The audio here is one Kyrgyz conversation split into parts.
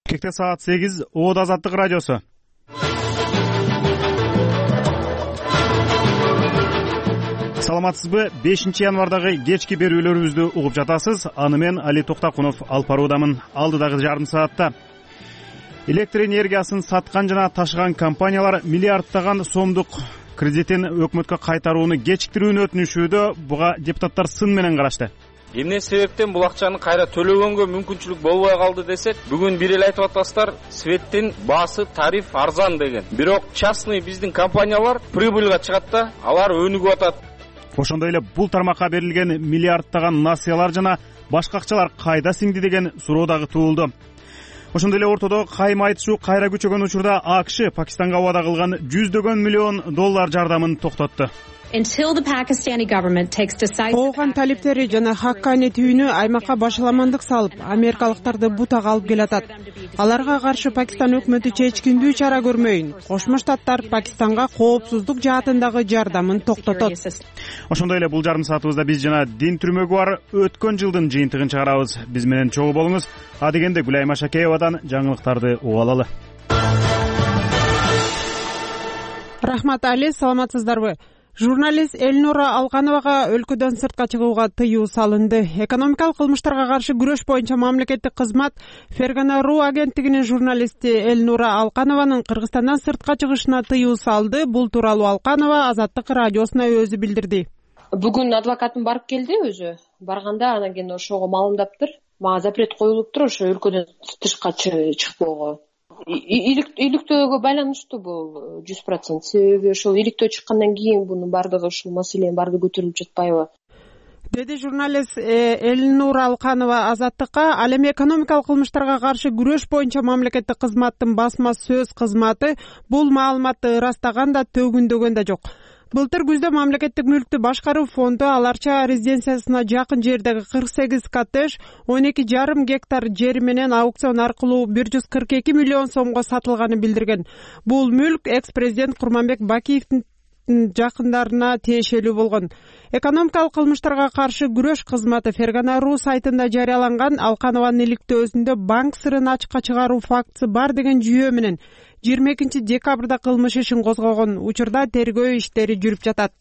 Кекте саат 8 Оод Азаттык радиосу. Саламатсызбы? 5-январдагы кечки берүүлөрүбүздү угуп жатасыз. Аны мен Али Токтакунов алып баруудамын. Алдыдагы жарым саатта электр энергиясын саткан жана ташыган компаниялар миллиарддаган сомдук кредитин өкмөткө кайтарууну кечиктирүүнү өтүнүшүүдө. Буга депутаттар сын менен карашты. Эмне себептен бул акчаны кайра төлөгөнгө мүмкүнчүлүк болбой калды десек, бүгүн бир эле айтып атасыздар, светтин баасы тариф арзан деген. Бирок частный биздин компаниялар прибыльга чыгат да, алар өнүгүп атат. Ошондой эле бул тармакка берилген миллиарддаган насыялар жана башка акчалар кайда сиңди деген суроо дагы туулду. Ошондой эле ортодо кайма айтышуу кайра күчөгөн учурда АКШ Пакистанга убада кылган $100 миллион жардамын токтотту. Ооган талиптери жана Хаккани түйүнү аймакка башаламандык салып, америкалыктарды бутага алып келатат. Аларга каршы Пакистан өкмөтү чечкиндүү чара көрмөйүн. Кошмо Штаттар Пакистанга коопсуздук жаатындагы жардамын токтотот. Ошондой эле бул жарым саатыбызда биз жана дин түрмөгү бар өткөн жылдын жыйынтыгын чыгарабыз. Биз менен чогуу болуңуз. Адегенде Гүлайма Шакеевадан жаңылыктарды угуп алалы. Рахмат Али, саламатсыздарбы? Журналист Элнура Алкановага өлкөдөн сыртка чыгууга тыюу салынды. Экономикалык кылмыштарга каршы күрөш боюнча мамлекеттик кызмат Фергана.ру агенттигинин журналисти Элнура Алканованын Кыргызстандан сыртка чыгышына тыюу салды. Бул тууралуу Алканова Азаттык радиосуна өзү билдирди. Бүгүн адвокатым барып келди өзү. Барганда анан кийин ошого маалымдаптыр. Мага запрет коюлуптур ошо өлкөдөн тышка чыкпоого. Иликтөөгө байланыштуу бул 100%. Себеби ошол иликтөө чыккандан кийин бунун бардыгы ушул маселенин бардыгы көтөрүлүп жатпайбы? Деди журналист Элнура Алканова Азаттыкка. Ал эми экономикалык кылмыштарга каршы күрөш боюнча мамлекеттик кызматтын басма сөз кызматы бул маалыматты ырастаган да төгүндөгөн да жок. Былтыр күздө мамлекеттик мүлктү башкаруу фонду Аларча резиденциясына жакын жердеги 48 коттедж 12,5 гектар жери менен аукцион аркылуу 142 миллион сомго сатылганын билдирген. Бул мүлк экс-президент Курманбек Бакиевдин жакындарына тиешелүү болгон. Экономикалык кылмыштарга каршы күрөш кызматы Фергана.ру сайтында жарыяланган Алканованын иликтөөсүндө банк сырын ачыкка чыгаруу фактысы бар деген жүйө менен 22 декабрда кылмыш ишин козгогон. Учурда тергөө иштери жүрүп жатат.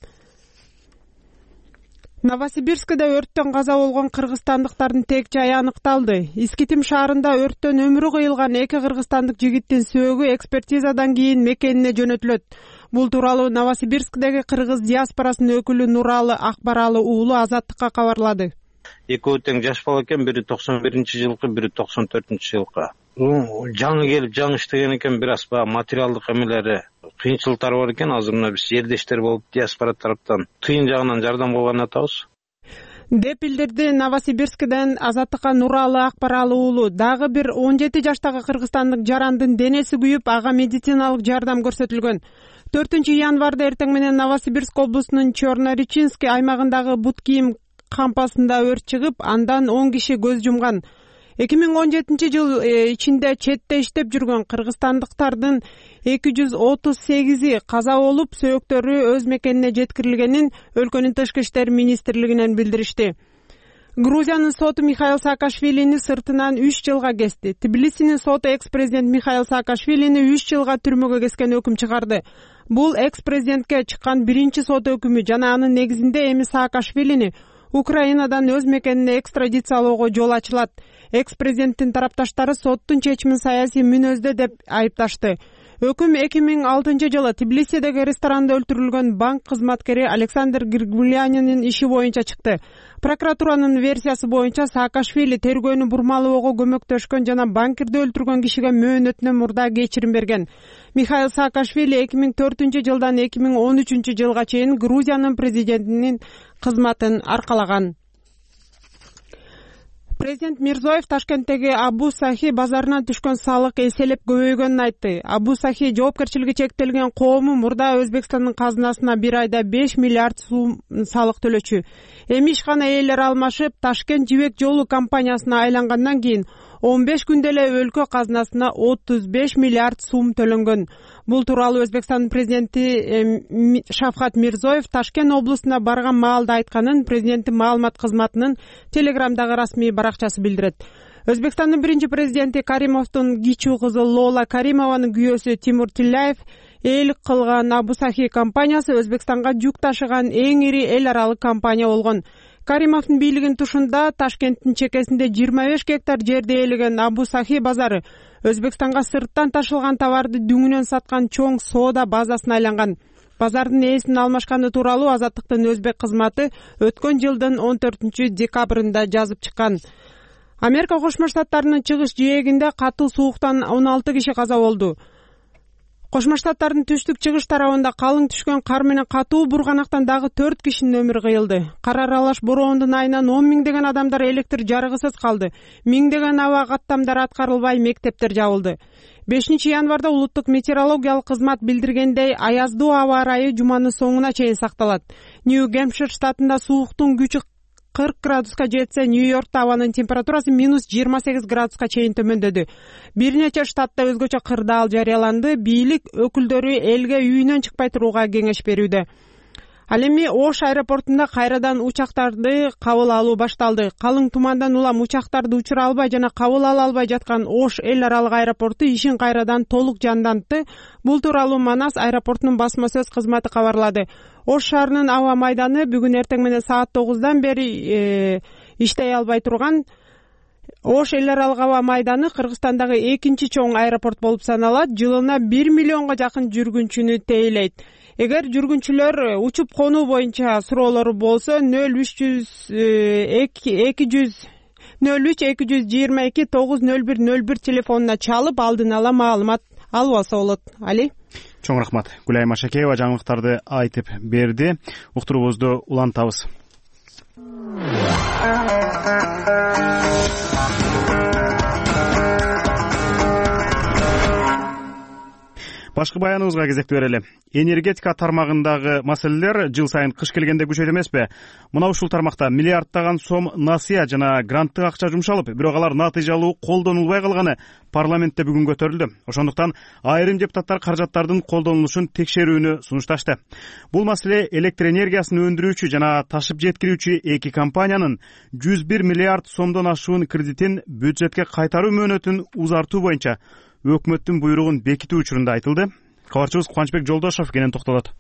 Новосибирскде өрттөн каза болгон кыргызстандыктардын тек жайы аныкталды. Искитим шаарында өрттөн өмүрү кыйылган 2 кыргызстандык жигиттин сөөгү экспертизадан кийин мекенине жөнөтүлөт. Бул тууралуу Новосибирскдеги кыргыз диаспорасынын өкүлү Нуралы Акбаралы уулу Азаттыкка кабарлады. Экөө тең жаш бала экен, бири 91-жылкы, бири 94-жылкы. Жаңы келип жаңы иштеген экен, бир аз материалдык эмелери кыйынчылыктар бар экен. Азыр мына биз жердештер болуп диаспора тараптан тыйын жагынан жардам кылган атабыз. Деп билдирди Новосибирскден Азаттыкка Нуралы Акбаралы уулу. Дагы бир 17 жаштагы кыргызстандык жарандын денеси күйүп, ага медициналык жардам көрсөтүлгөн. 4-январда эртең менен Новосибирск облусунун Чорно-Речинский аймагындагы бут кийим кампасында өрт чыгып, андан 10 киши көз жумган. 2017-жыл ичинде четте иштеп жүргөн кыргызстандыктардын 238 каза болуп, сөөктөрү өз мекенине жеткирилгенин өлкөнүн тышкы иштер министрлигинен билдиришти. Грузиянын соту Михаил Саакашвилини сыртынан 3 жылга кести. Тбилисинин соту экс-президент Михаил Саакашвилини 3 жылга түрмөгө кескен өкүм чыгарды. Бул экс-президентке чыккан биринчи сот өкүмү жана анын негизинде эми Саакашвилини Украинадан өз мекенине экстрадициялоого жол ачылат. Экс-президенттин тарапташтары соттун чечимин саясий мүнөздө деп айыпташты. Өкүм 2006-жылы Тбилисидеги ресторанда өлтүрүлгөн банк кызматкери Александр Григулянинин иши боюнча чыкты. Прокуратуранын версиясы боюнча Саакашвили тергөөнү бурмалоого көмөктөшкөн жана банкирди өлтүргөн кишиге мөөнөтүнөн мурда кечирим берген. Михаил Саакашвили 2004-жылдан 2013-жылга чейин Грузиянын президентинин кызматын аркалаган. Президент Мирзоев Ташкенттеги Абу Сахи базарынан түшкөн салык эселеп көбөйгөнүн айтты. Абу Сахи жоопкерчилиги чектелген коому мурда Өзбекстандын казынасына бир айда 5 миллиард сом салык төлөчү. Эми ишкана ээлери алмашып, Ташкент жибек жолу компаниясына айлангандан кийин 15 күндө эле өлкө казынасына 35 миллиард сом төлөнгөн. Бул тууралуу Өзбекстандын президенти Шавкат Мирзоев Ташкент облусуна барган маалда айтканын президенттин маалымат кызматынын Телеграмдагы расмий баракчасы билдирет. Өзбекстандын биринчи президенти Каримовдун кичүү кызы Лола Каримованын күйөөсү Тимур Тилляев ээлик кылган Абу Сахи компаниясы Өзбекстанга жүк ташыган эң ири эл аралык компания болгон. Каримовдун бийлигинин тушунда Ташкенттин чекесинде 25 гектар жерди ээлеген Абу Сахи базары Өзбекстанга сырттан ташылган товарды дүңүнөн саткан чоң соода базасына айланган. Базардын ээсин алмашканы тууралуу Азаттыктын өзбек кызматы өткөн жылдын 14 декабрында жазып чыккан. Америка Кошмо Штаттарынын чыгыш жээгинде катуу сууктан 16 киши каза болду. Кошмо Штаттардын түштүк чыгыш тарабында калың түшкөн кар менен катуу бурганактан дагы 4 кишинин өмүрү кыйылды. Кар аралаш бороондун айынан 10 миңдеген адамдар электр жарыгысыз калды. Миңдеген аба каттамдар аткарылбай, мектептер жабылды. 5 январда улуттук метеорологиялык кызмат билдиргендей, аяздуу аба ырайы жуманын соңуна чейин сакталат. Нью-Гэмпшир штатында сууктун күчү 40 градуска жетсе, Нью-Йоркто абанын температурасы -28 градуска чейин төмөндөдү. Бир нече штатта өзгөчө кырдаал жарыяланды. Бийлик өкүлдөрү элге үйүнөн чыкпай турууга кеңеш берүүдө. Ал эми Ош аэропортунда кайрадан учактарды кабыл алуу башталды. Калың тумандан улам учактарды учура албай жана кабыл ала албай жаткан Ош эл аралык аэропорту ишин кайрадан толук жандантты. Бул тууралуу Манас аэропортунун басма сөз кызматы кабарлады. Ош шаарынын аба майданы бүгүн эртең менен саат 9-дан бери иштей албай турган. Ош эл аралык аба майданы Кыргызстандагы экинчи чоң аэропорт болуп саналат. Жылына 1 миллионго жакын жүргүнчүнү тейлейт. Эгер жүргүнчүлөр учуп конуу боюнча суроолору болсо 03-222-90101 телефонуна чалып алдын ала маалымат алып алса болот. Али? Чоң рахмат. Гүлайым Ашакеева жаңылыктарды айтып берди. Уктуруубузду улантабыз. Башкы баяныбызга кезек берели. Энергетика тармагындагы маселелер жыл сайын кыш келгенде күчөйт эмеспи? Мына ушул тармакта миллиарддаган сом насыя жана гранттык акча жумшалып, бирок алар натыйжалуу колдонулбай калганы парламентте бүгүн көтөрүлдү. Ошондуктан айрым депутаттар каражаттардын колдонулушун текшерүүнү сунушташты. Бул маселе электр энергиясын өндүрүүчү жана ташып жеткирүүчү эки компаниянын 101 миллиард сомдон ашуун кредитин бюджетке кайтаруу мөөнөтүн узартуу боюнча өкмөттүн буйругун бекитүү учурунда айтылды. Кабарчыбыз Кубанычбек Жолдошов кенен токтолот.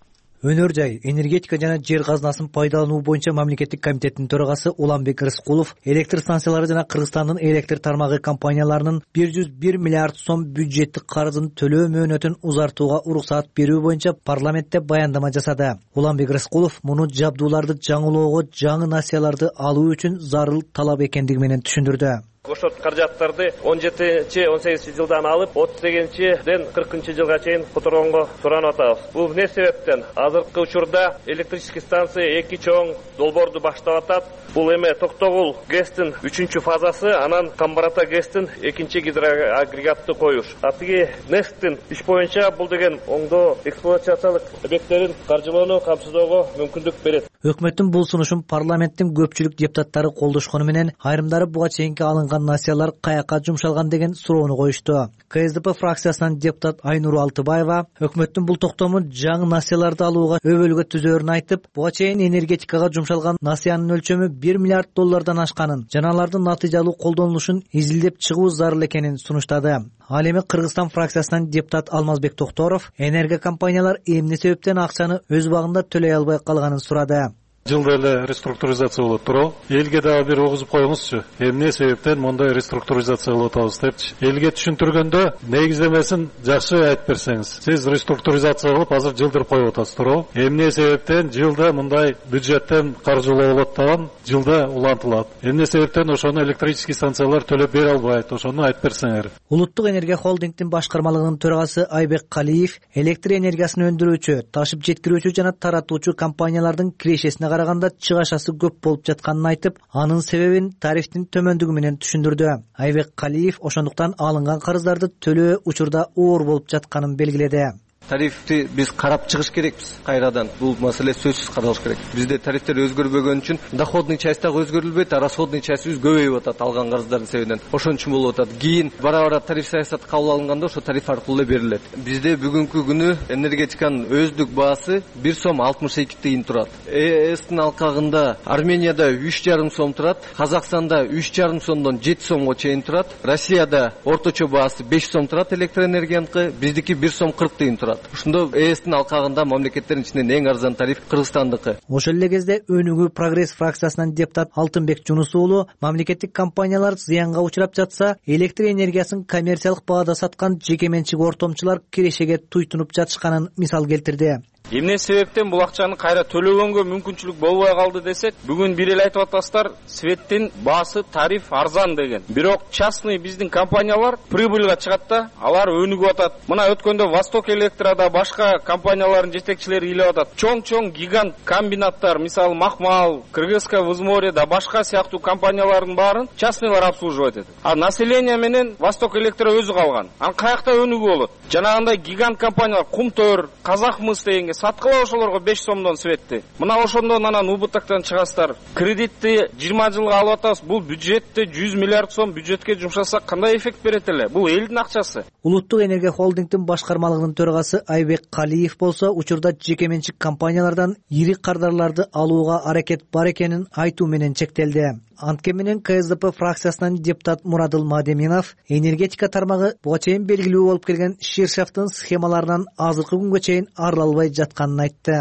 Өнөр жай, энергетика жана жер казынасын пайдалануу боюнча мамлекеттик комитеттин төрагасы Уланбек Рыскулов электр станциялары жана Кыргызстандын электр тармагы компанияларынын 101 миллиард сом бюджеттик карызын төлөө мөөнөтүн узартууга уруксаат берүү боюнча парламентте баяндама жасады. Уланбек Рыскулов муну жабдууларды жаңылоого, жаңы насыяларды алуу үчүн зарыл талап экендиги менен түшүндүрдү. Ошол каражаттарды 17-18 жылдан алып 38-ден 40 жылга чейин которгонго суранып атабыз. Бул эмне себептен? Азыркы учурда электрический станция эки чоң долбоорду баштап атат. Бул эме Токтогул ГЭСтин 3-фазасы, анан Камбарата ГЭСтин 2-гидроагрегатты коюш. Атыги НЭСТин иш боюнча бул деген оңдоо эксплуатациялык объекттерин каржылоону камсыздоого мүмкүндүк берет. Өкмөттүн бул сунушун парламенттин көпчүлүк депутаттары колдошкону менен айрымдары буга чейинки алынган насыялар каяка жумшалган деген суроону коюшту. КСДП фракциясынан депутат Айнур Алтыбаева өкмөттүн бул токтому жаңы насыяларды алууга өбөлгө түзөөрүн айтып, буга чейин энергетикага жумшалган насыянын өлчөмү 1 миллиард доллардан ашканын, жана алардын натыйжалуу колдонулушун изилдеп чыгуу зарыл экенин сунуштады. Ал эми Кыргызстан фракциясынан депутат Алмазбек Токторов энерго компаниялар эмне себептен акчаны өз убагында төлөй албай калганын сурады. Жылда эле реструктуризация болот туурабы? Элге дагы бир огузуп коюңузчу. Эмне себептен мондай реструктуризация болуп атабыз депчи. Элге түшүндүргөндө негиздемесин жакшы айтып берсеңиз. Сиз реструктуризация кылып азыр жылдырып коюп атасыз туурабы? Эмне себептен жылда мындай бюджеттен каржылоо болот даган жылда улантылат? Эмне себептен ошону электрический станциялар төлөп бере албайт? Ошону айтып берсеңер. Улуттук энергия холдингдин башкармалыгынын төрагасы Айбек Калиев электр энергиясын өндүрүүчү, ташып жеткирүүчү жана таратуучу компаниялардын кирешесине караганда чыгашасы көп болуп жатканын айтып, анын себебин тарифтин төмөндүгү менен түшүндүрдү. Айбек Калиев ошондуктан алынган карыздарды төлөө учурда оор болуп жатканын белгиледи. Тарифти биз карап чыгыш керекпиз кайрадан. Бул маселе сөзсүз каралыш керек. Бизде тарифтер өзгөрбөгөн үчүн доходный часть дагы өзгөрүлбөйт, а расходный частьыбыз көбөйүп атат алган карыздардын себебинен. Ошон үчүн болуп атат. Кийин бара-бара тариф саясаты кабыл алынганда ошо тариф аркылуу эле берилет. Бизде бүгүнкү күнү энергетиканын өздүк баасы 1 сом 62 тыйын турат. ЭСтин алкагында Арменияда 3,5 сом турат, Казакстанда 3,5 сомдон 7 сомго чейин турат, Россияда орточо баасы 5 сом турат электроэнергияныкы, биздики 1 сом 40 тыйын турат. Ошондо ЭСтин алкагында мамлекеттердин ичинен эң арзан тариф Кыргызстандыкы. Ошол эле кезде Өнүгүү Прогресс фракциясынан депутат Алтынбек Жунус уулу мамлекеттик компаниялар зыянга учурап жатса, электр энергиясын коммерциялык баада саткан жеке менчик ортомчулар кирешеге туйтунуп жатышканын мисал келтирди. Эмне себептен бул акчаны кайра төлөгөнгө мүмкүнчүлүк болбой калды десек, бүгүн бир эле айтып атасыздар, светтин баасы тариф арзан деген. Бирок частный биздин компаниялар прибыльга чыгат да, алар өнүгүп атат. Мына өткөндө Восток Электрада башка компаниялардын жетекчилери келип атат. Чоң гигант комбинаттар, мисалы Махмал, Кыргызское Возморье да башка сыяктуу компаниялардын баарын частныйлар обслуживать этет. А население менен Восток Электро өзү калган. Ан каякта өнүгүү болот? Жанагындай гигант компаниялар Кумтөр, Казакмыс дегенге саткыла ошолорго 5 сомдон светти. Мына ошондон анан убыттыктан чыгасыздар. Кредитти 20 жылга алып атабыз. Бул бюджетте 100 миллиард сом бюджетке жумшасак кандай эффект берет эле? Бул элдин акчасы. Улуттук энергия холдингдин башкармалыгынын төрагасы Айбек Калиев болсо, учурда жеке менчик компаниялардан ири кардарларды алууга аракет бар экенин айтуу менен чектелди. Антке менен КСДП фракциясынан депутат Мурадыл Мадеминов энергетика тармагы буга чейин белгилүү болуп келген ширшафтын схемаларынан азыркы күнгө чейин арыла албай жатканын айтты.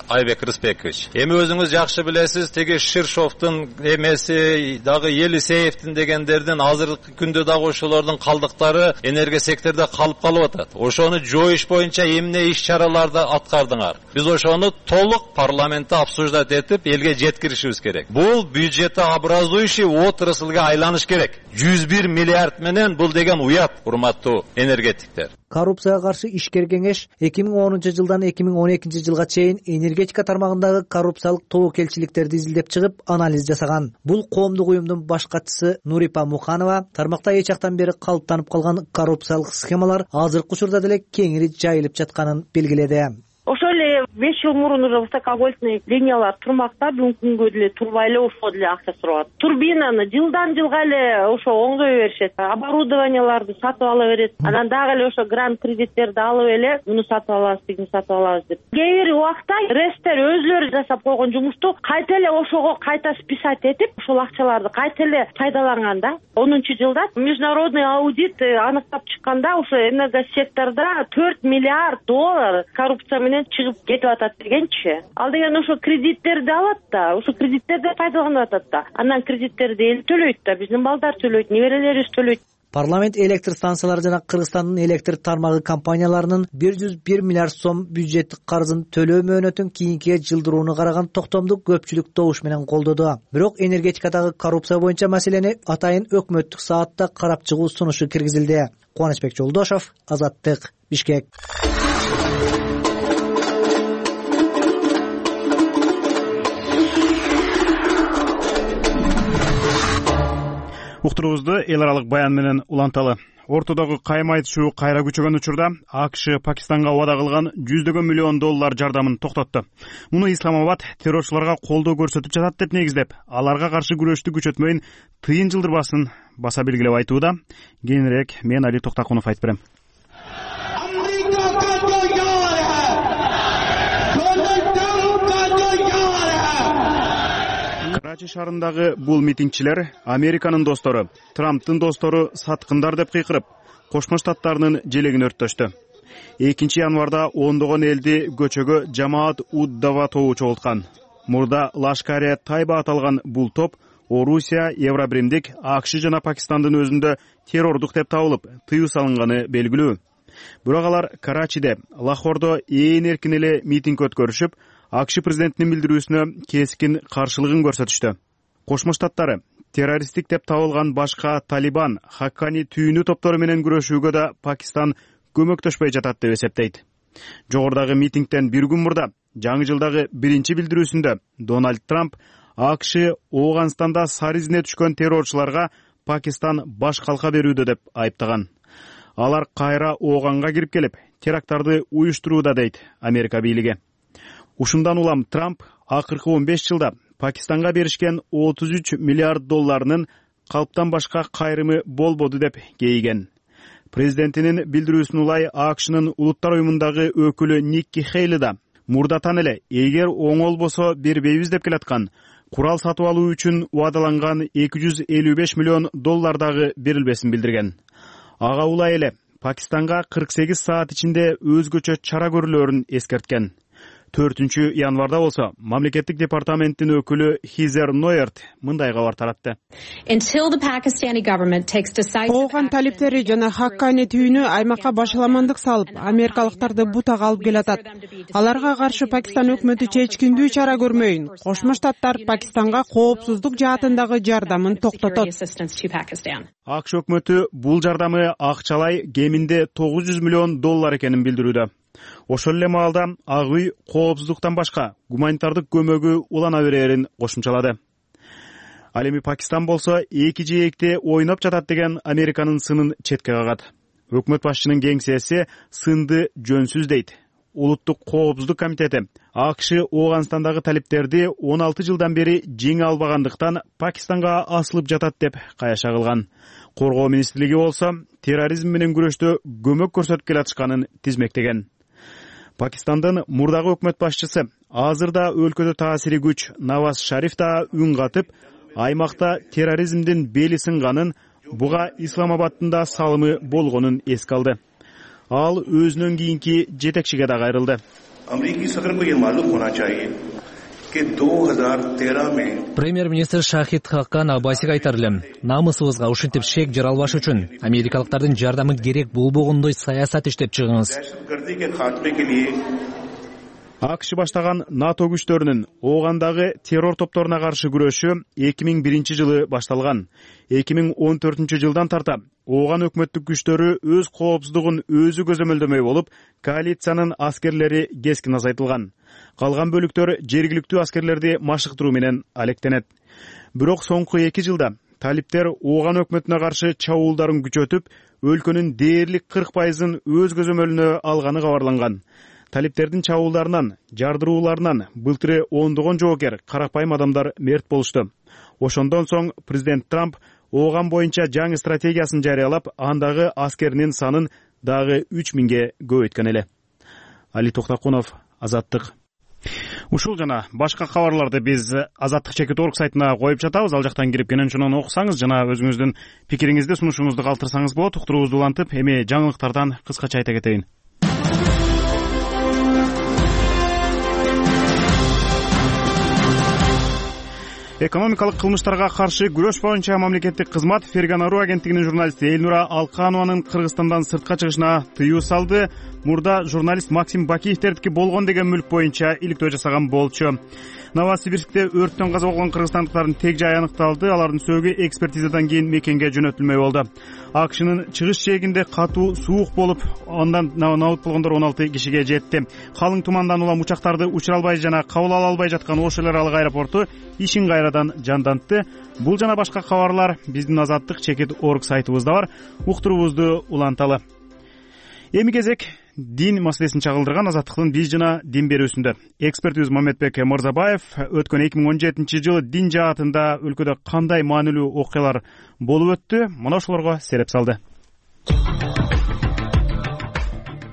Айбек Рысбекович, эми өзүңүз жакшы билесиз, теги Ширшовдун эмеси дагы Елисеевдин дегендердин азыркы күндө дагы ошолордун калдыктары энергия секторунда калып атат. Ошону жоюш боюнча эмне иш-чараларды аткардыңар? Биз ошону толук парламентте обсуждать этип, элге жеткиришибиз керек. Бул бюджетообразующий отраслга айланыш керек. 101 миллиард менен бул деген уят, урматтуу энергетиктер. Коррупцияга каршы ишкер кеңеш 2010-жылдан 2012 жылга чейин энергетика тармагындагы коррупциялык тобокелчиликтерди изилдеп чыгып, анализ жасаган. Бул коомдук уюмдун баш катчысы Нурипа Муханова тармакта эч жактан бери калыптанып калган коррупциялык схемалар азыркы учурда деле кеңири жайылып жатканын белгиледи. Ошол эле 5 жыл мурун уже высоковольтный линиялар турмакта, бүгүнкү күнгө деле турбай эле ошого деле акча сурап. Турбинаны жылдан жылга эле ошо оңдой беришет. Оборудованияларды сатып ала берет. Анан дагы эле ошо грант кредиттерди алып эле муну сатып алабыз, тигини сатып алабыз деп. Кээ бир убакта ресттер өзлөрү жасап койгон жумушту кайта эле ошого кайта списать этип, ошол акчаларды кайта эле пайдаланганда, 10-жылда международный аудит аныктап чыкканда, ошо энергосекторда 4 миллиард доллар коррупция менен чыгып кетип атат дегенчи. Ал деген ошо кредиттерди алат да, ошо кредиттерди пайдаланып атат да. Андан кредиттерди эл төлөйт да, биздин балдар төлөйт, неберелерибиз төлөйт. Парламент электр станциялары жана Кыргызстандын электр тармагы компанияларынын 101 миллиард сом бюджеттик карызын төлөө мөөнөтүн кийинкиге жылдырууну караган токтомду көпчүлүк добуш менен колдоду. Бирок энергетикадагы коррупция боюнча маселени атайын өкмөттүк саатта карап чыгуу сунушу киргизилди. Кубанычбек Жолдошов, Азаттык, Бишкек. Уктуруубузду эл аралык баян менен уланталы. Ортодогу кайма айтышуу кайра күчөгөн учурда АКШ Пакистанга убада кылган $100 миллион жардамын токтотту. Муну Исламабад террорчуларга колдоо көрсөтүп жатат деп негиздеп, аларга каршы күрөштү күчөтмөйүн тыйын жылдырбасын баса белгилеп айтууда. Кийинирээк мен Али Токтакунов айтып берем. Карачи шаарындагы бул митингчилер Американын достору, Трамптын достору саткындар деп кыйкырып, Кошмо Штаттарынын желегин өрттөштү. 2 январда ондогон элди көчөгө Жамаат уд-Дава тобу чогулткан. Мурда Лашкаре Тайба аталган бул топ Орусия, Евробиримдик, АКШ жана Пакистандын өзүндө террордук деп табылып, тыюу салынганы белгилүү. Бирок алар Карачиде, Лахордо ээн эркин эле митинг өткөрүшүп, АКШ президентинин билдирүүсүнө кескин каршылыгын көрсөтүштү. Кошмо Штаттары террористтик деп табылган башка Талибан, Хаккани түйүнүү топтору менен күрөшүүгө да Пакистан көмөктөшпөй жатат деп эсептейт. Жогорудагы митингден бир күн мурда жаңы жылдагы биринчи билдирүүсүндө Дональд Трамп АКШ Ооганстанда сары изине түшкөн террорчуларга Пакистан баш калка берүүдө деп айыптаган. Алар кайра Ооганга кирип келип, теракттарды уюштурууда, дейт Америка бийлиги. Ушундан улам Трамп акыркы 15 жылда Пакистанга беришкен 33 миллиард долларынын калптан башка кайрымы болбоду деп кейиген. Президентинин билдирүүсүнө улай АКШнын улуттар уюмундагы өкүлү Никки Хейли да мурдатан эле эгер оңолбосо бербейбиз деп келаткан курал сатып алуу үчүн убадаланган 255 миллион доллардагы берилбесин билдирген. Ага улай эле Пакистанга 48 саат ичинде өзгөчө чара көрүлөрүн эскерткен. 4 январда болсо мамлекеттик департаменттин өкүлү Хизер Ноерт мындай кабар таратты. Ооган талиптери жана Хаккани түйүнү аймакка башаламандык салып, америкалыктарды бутага алып келатат. Аларга каршы Пакистан өкмөтү чечкиндүү чара көрмөйүн. Кошмо Штаттар Пакистанга коопсуздук жаатындагы жардамын токтотот. АКШ өкмөтү бул жардамы акчалай кеминде 900 миллион доллар экенин билдирүүдө. Ошол эле маалда Ак үй коопсуздуктан башка гуманитардык көмөгү улана берерин кошумчалады. Ал эми Пакистан болсо эки жээкте ойноп жатат деген Американын сынын четке кагат. Өкмөт башчынын кеңсеси сынды жөнсүз дейт. Улуттук коопсуздук комитети АКШ Ооганстандагы талиптерди 16 жылдан бери жеңе албагандыктан Пакистанга асылып жатат деп каяша кылган. Коргоо министрлиги болсо терроризм менен күрөштө көмөк көрсөтүп келатышканын тизмектеген. Пакистандын мурдагы өкмөт башчысы азырда өлкөдө таасири күч Наваз Шариф да үн катып, аймакта терроризмдин бели сынганын, буга Исламабадтын да салымы болгонун эске алды. Ал өзүнөн кийинки жетекчиге да кайрылды. Премьер-министр Шахид Хаккан Аббасига айтар элем, намысыбызга ушинтип шек жаралбаш үчүн америкалыктардын жардамы керек болбогондой саясат иштеп чыгыңыз. АКШ баштаган НАТО күчтөрүнүн Оогандагы террор топторуна каршы күрөшү 2001 жылы башталган. 2014 жылдан тарта Ооган өкмөттүк күчтөрү өз коопсуздугун өзү көзөмөлдөмөй болуп, коалициянын аскерлери кескин азайтылган. Калган бөлүктөр жергиликтүү аскерлерди машыктыруу менен алектенет. Бирок соңку 2 жылда талиптер Ооган өкмөтүнө каршы чабуулдарын күчөтүп, өлкөнүн дээрлик 40%-ын өз көзөмөлүнө алганы кабарланган. Талиптердин чабуулдарынан, жардырууларынан былтыры ондогон жоокер карапайым адамдар мерт болушту. Ошондон соң президент Трамп Ооган боюнча жаңы стратегиясын жарыялап, андагы аскеринин санын дагы 3000ге көбөйткөн эле. Али Токтакунов, Азаттык. Ушул жана башка кабарларды биз Азаттык.org сайтына коюп жатабыз. Ал жактан кирип кенен окусаңыз жана өзүңүздүн пикириңизди, сунушуңузду калтырсаңыз болот. Уктуруубузду улантып, эми жаңылыктардан кыскача айта кетейин. Экономикалык кылмыштарга каршы күрөш боюнча мамлекеттик кызмат Ферганару агенттигинин журналисти Элнура Алканованын Кыргызстандан сыртка чыгышына тыюу салды. Мурда журналист Максим Бакиевтердики болгон деген мүлк боюнча иликтөө жасаган болчу. Новосибирскте өрттөн каза болгон кыргызстандыктардын тег жайы аныкталды. Алардын сөөгү экспертизадан кийин мекенге жөнөтүлмөй болду. АКШнын чыгыш жээгинде катуу суук болуп, андан набыт болгондор 16 кишиге жетти. Калың тумандан улам учактарды учура албай жана кабыл ала албай жаткан Ош эл аралык аэропорту ишин кайрадан жандантты. Бул жана башка кабарлар биздин Азаттык.org сайтыбызда бар. Уктуруубузду уланталы. Эми кезек дин маселесин чагылдырган Азаттыктын биз жана дин берүүсүндө. Экспертибиз Мамедбек Мырзабаев өткөн 2017 жылы дин жаатында өлкөдө кандай маанилүү окуялар болуп өттү? Мына ошолорго сереп салды.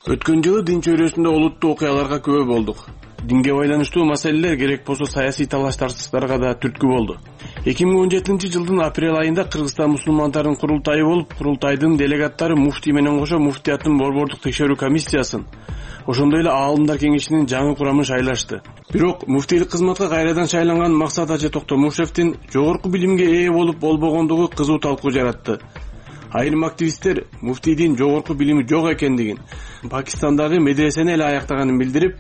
Өткөн жылы дин чөйрөсүндө олуттуу окуяларга күбө болдук. Динге байланыштуу маселелер керек болсо саясий талаш-тартыштарга да түрткү болду. 2017 жылдын апрель айында Кыргызстан мусулмандарынын курултайы болуп, курултайдын делегаттары муфтий менен кошо муфтияттын борбордук текшерүү комиссиясын, ошондой эле аалымдар кеңешинин жаңы курамын шайлашты. Бирок муфтийлик кызматка кайрадан шайланган Максат Ажы Токтомушевдин жогорку билимге ээ болуп болбогондугу кызуу талкуу жаратты. Айрым активисттер муфтийдин жогорку билими жок экендигин, Пакистандагы медресени эле аяктаганын билдирип,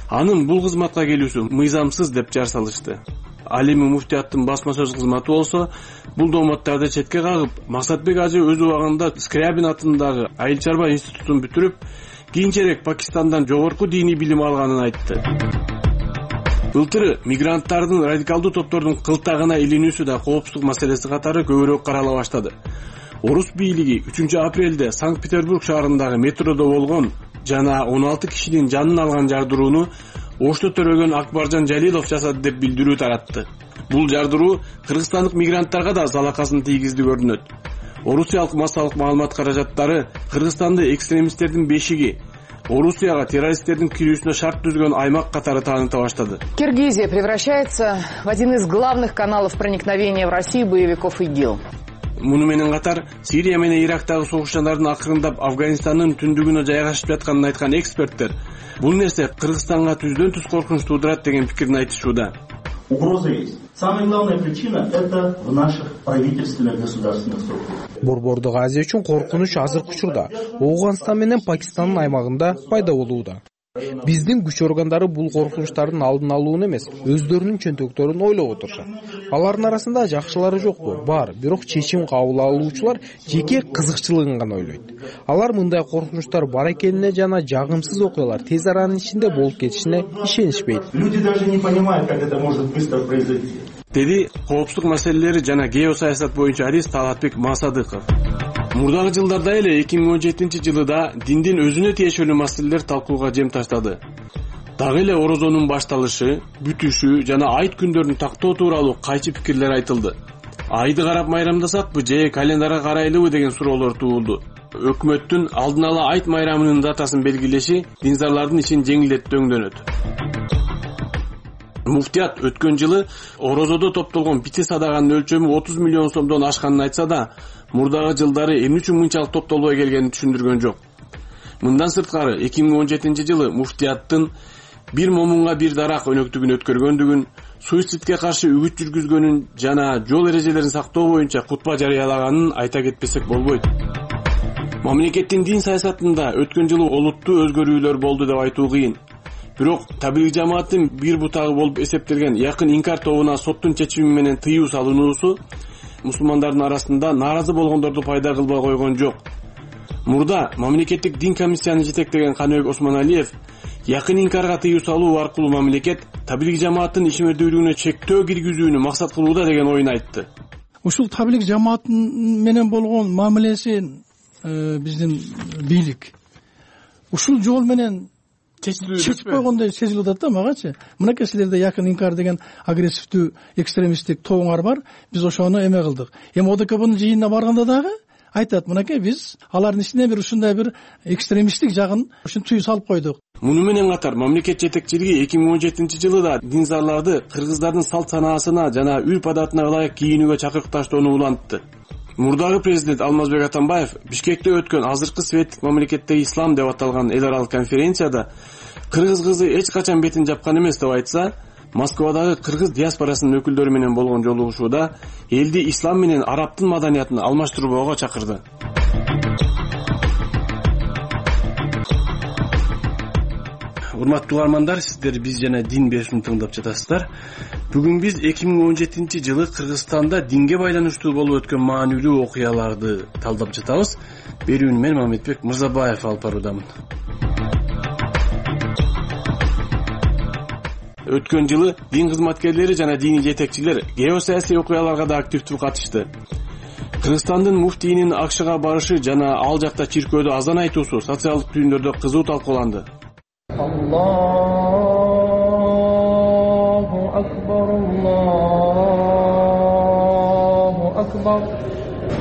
анын бул кызматка келүүсү мыйзамсыз деп жар салышты. Ал эми муфтияттын басма сөз кызматы болсо, бул дооматтарды четке кагып, Максатбек Ажы өз убагында Скрябин атындагы айыл чарба институтун бүтүрүп, кийинчерээк Пакистандан жогорку диний билим алганын айтты. Былтыры мигранттардын радикалдуу топтордун кылтагына илинүүсү да коопсуздук маселеси катары көбүрөөк карала баштады. Орус бийлиги 3 апрелде Санкт-Петербург шаарындагы метродо болгон жана 16 кишинин жанын алган жардырууну Ошто төрөгөн Акбаржан Жалилов жасады деп билдирүү таратты. Бул жардыруу кыргызстандык мигранттарга да залакасын тийгизди көрүнөт. Орусиялык массалык маалымат каражаттары Кыргызстанды экстремисттердин бешиги, Орусияга террористтердин кирүүсүнө шарт түзгөн аймак катары тааныта баштады. Киргизия превращается в один из главных каналов проникновения в Россию боевиков ИГИЛ. Муну менен катар Сирия менен Ирактагы согушчандардын акырындап Афганистандын түндүгүнө жайгашып жатканын айткан эксперттер бул нерсе Кыргызстанга түздөн түз коркунуч туудурат деген пикирин айтышууда. Угроза есть. Самая главная причина – это в наших правительственных государственных структурах. Борбордук Азия үчүн коркунуч азыркы учурда Ооганстан менен Пакистандын аймагында пайда болууда. Биздин күч органдары бул коркунучтардын алдын алууну эмес, өздөрүнүн чөнтөктөрүн ойлоп отурушат. Алардын арасында жакшылары жокпу, бар, бирок чечим кабыл алуучулар жеке кызыкчылыгын гана ойлойт. Алар мындай коркунучтар бар экенине жана жагымсыз окуялар тез аранын ичинде болуп кетишине ишенишпейт. Люди даже не понимают, как это может быстро произойти. Деди коопсуздук маселелери жана геосаясат боюнча адис Талатбек Масадыков. Мурдагы жылдарда эле 2017 жылда диндин өзүнө тиешелүү маселелер талкууга жем таштады. Дагы эле орозонун башталышы, бүтүшү жана айт күндөрүн тактоо тууралуу кайчы пикирлер айтылды. Айды карап майрамдасакпы же календарга карайлыбы деген суроолор туулду. Өкмөттүн алдын ала айт майрамынын датасын белгилеши динзарлардын ишин жеңилдетүүгө Муфтият өткөн жылы орозодо топтолгон бити садаганын өлчөмү 30 миллион сомдон ашканын айтса да, мурдагы жылдары эмне үчүн мынчалык топтолбой келгенин түшүндүргөн жок. Мындан сырткары 2017 жылы муфтияттын бир момунга бир дарак өнөктүгүн өткөргөндүгүн, суицидке каршы үгүт жүргүзгөнүн жана жол эрежелерин сактоо боюнча кутба жарыялаганын айта кетпесек болбойт. Мамлекеттин дин саясатында өткөн жылы олуттуу өзгөрүүлөр болду деп айтуу кыйын. Бирок таблиг жамааттын бир бутагы болуп эсептелген Якын инкар тобуна соттун чечими менен тыюу салынуусу мусулмандардын арасында нааразы болгондорду пайда кылбай койгон жок. Мурда мамлекеттик дин комиссияны жетектеген Каныбек Осмоналиев Якын инкарга тыюу салуу аркылуу мамлекет таблиг жамааттын ишмердүүлүгүнө чектөө киргизүүнү максат кылууда деген оюн айтты. Ушул таблиг жамаат менен болгон мамилеси биздин бийлик ушул жол менен чечип койгондой сезилип атат да магачы. Мынакей силерде Якын инкар деген агрессивдүү экстремисттик тобуңар бар. Биз ошону эме кылдык. Эми ОДКБнын жыйынына барганда дагы айтат, мынакей биз алардын ичине бир ушундай бир экстремисттик жагын ушинтип тыюу салып койдук. Муну менен катар мамлекет жетекчилиги 2017 жылы да динзарларды кыргыздардын салт санаасына жана үрп адатына ылайык кийинүүгө чакырыкташтоону улантты. Мурдагы президент Алмазбек Атамбаев Бишкекте өткөн азыркы светтик мамлекеттеги ислам деп аталган эл аралык конференцияда кыргыз кызы эч качан бетин жапкан эмес деп айтса, Москвадагы кыргыз диаспорасынын өкүлдөрү менен болгон жолугушууда элди ислам менен арабтын маданиятын алмаштырбоого чакырды. Урматтуу угармандар, сиздер биз жана дин берүүсүн тыңдап жатасыздар. Бүгүн биз 2017 жылы Кыргызстанда динге байланыштуу болуп өткөн маанилүү окуяларды талдап жатабыз. Берүүнү мен Мамедбек Мырзабаев алып баруудамын. Өткөн жылы дин кызматкерлери жана диний жетекчилер геосаясий окуяларга да активдүү катышты. Кыргызстандын муфтийинин АКШга барышы жана ал жакта чиркөөдө азан айтуусу социалдык түйүндөрдө кызуу талкууланды. Аллаху акбар, Аллаху акбар.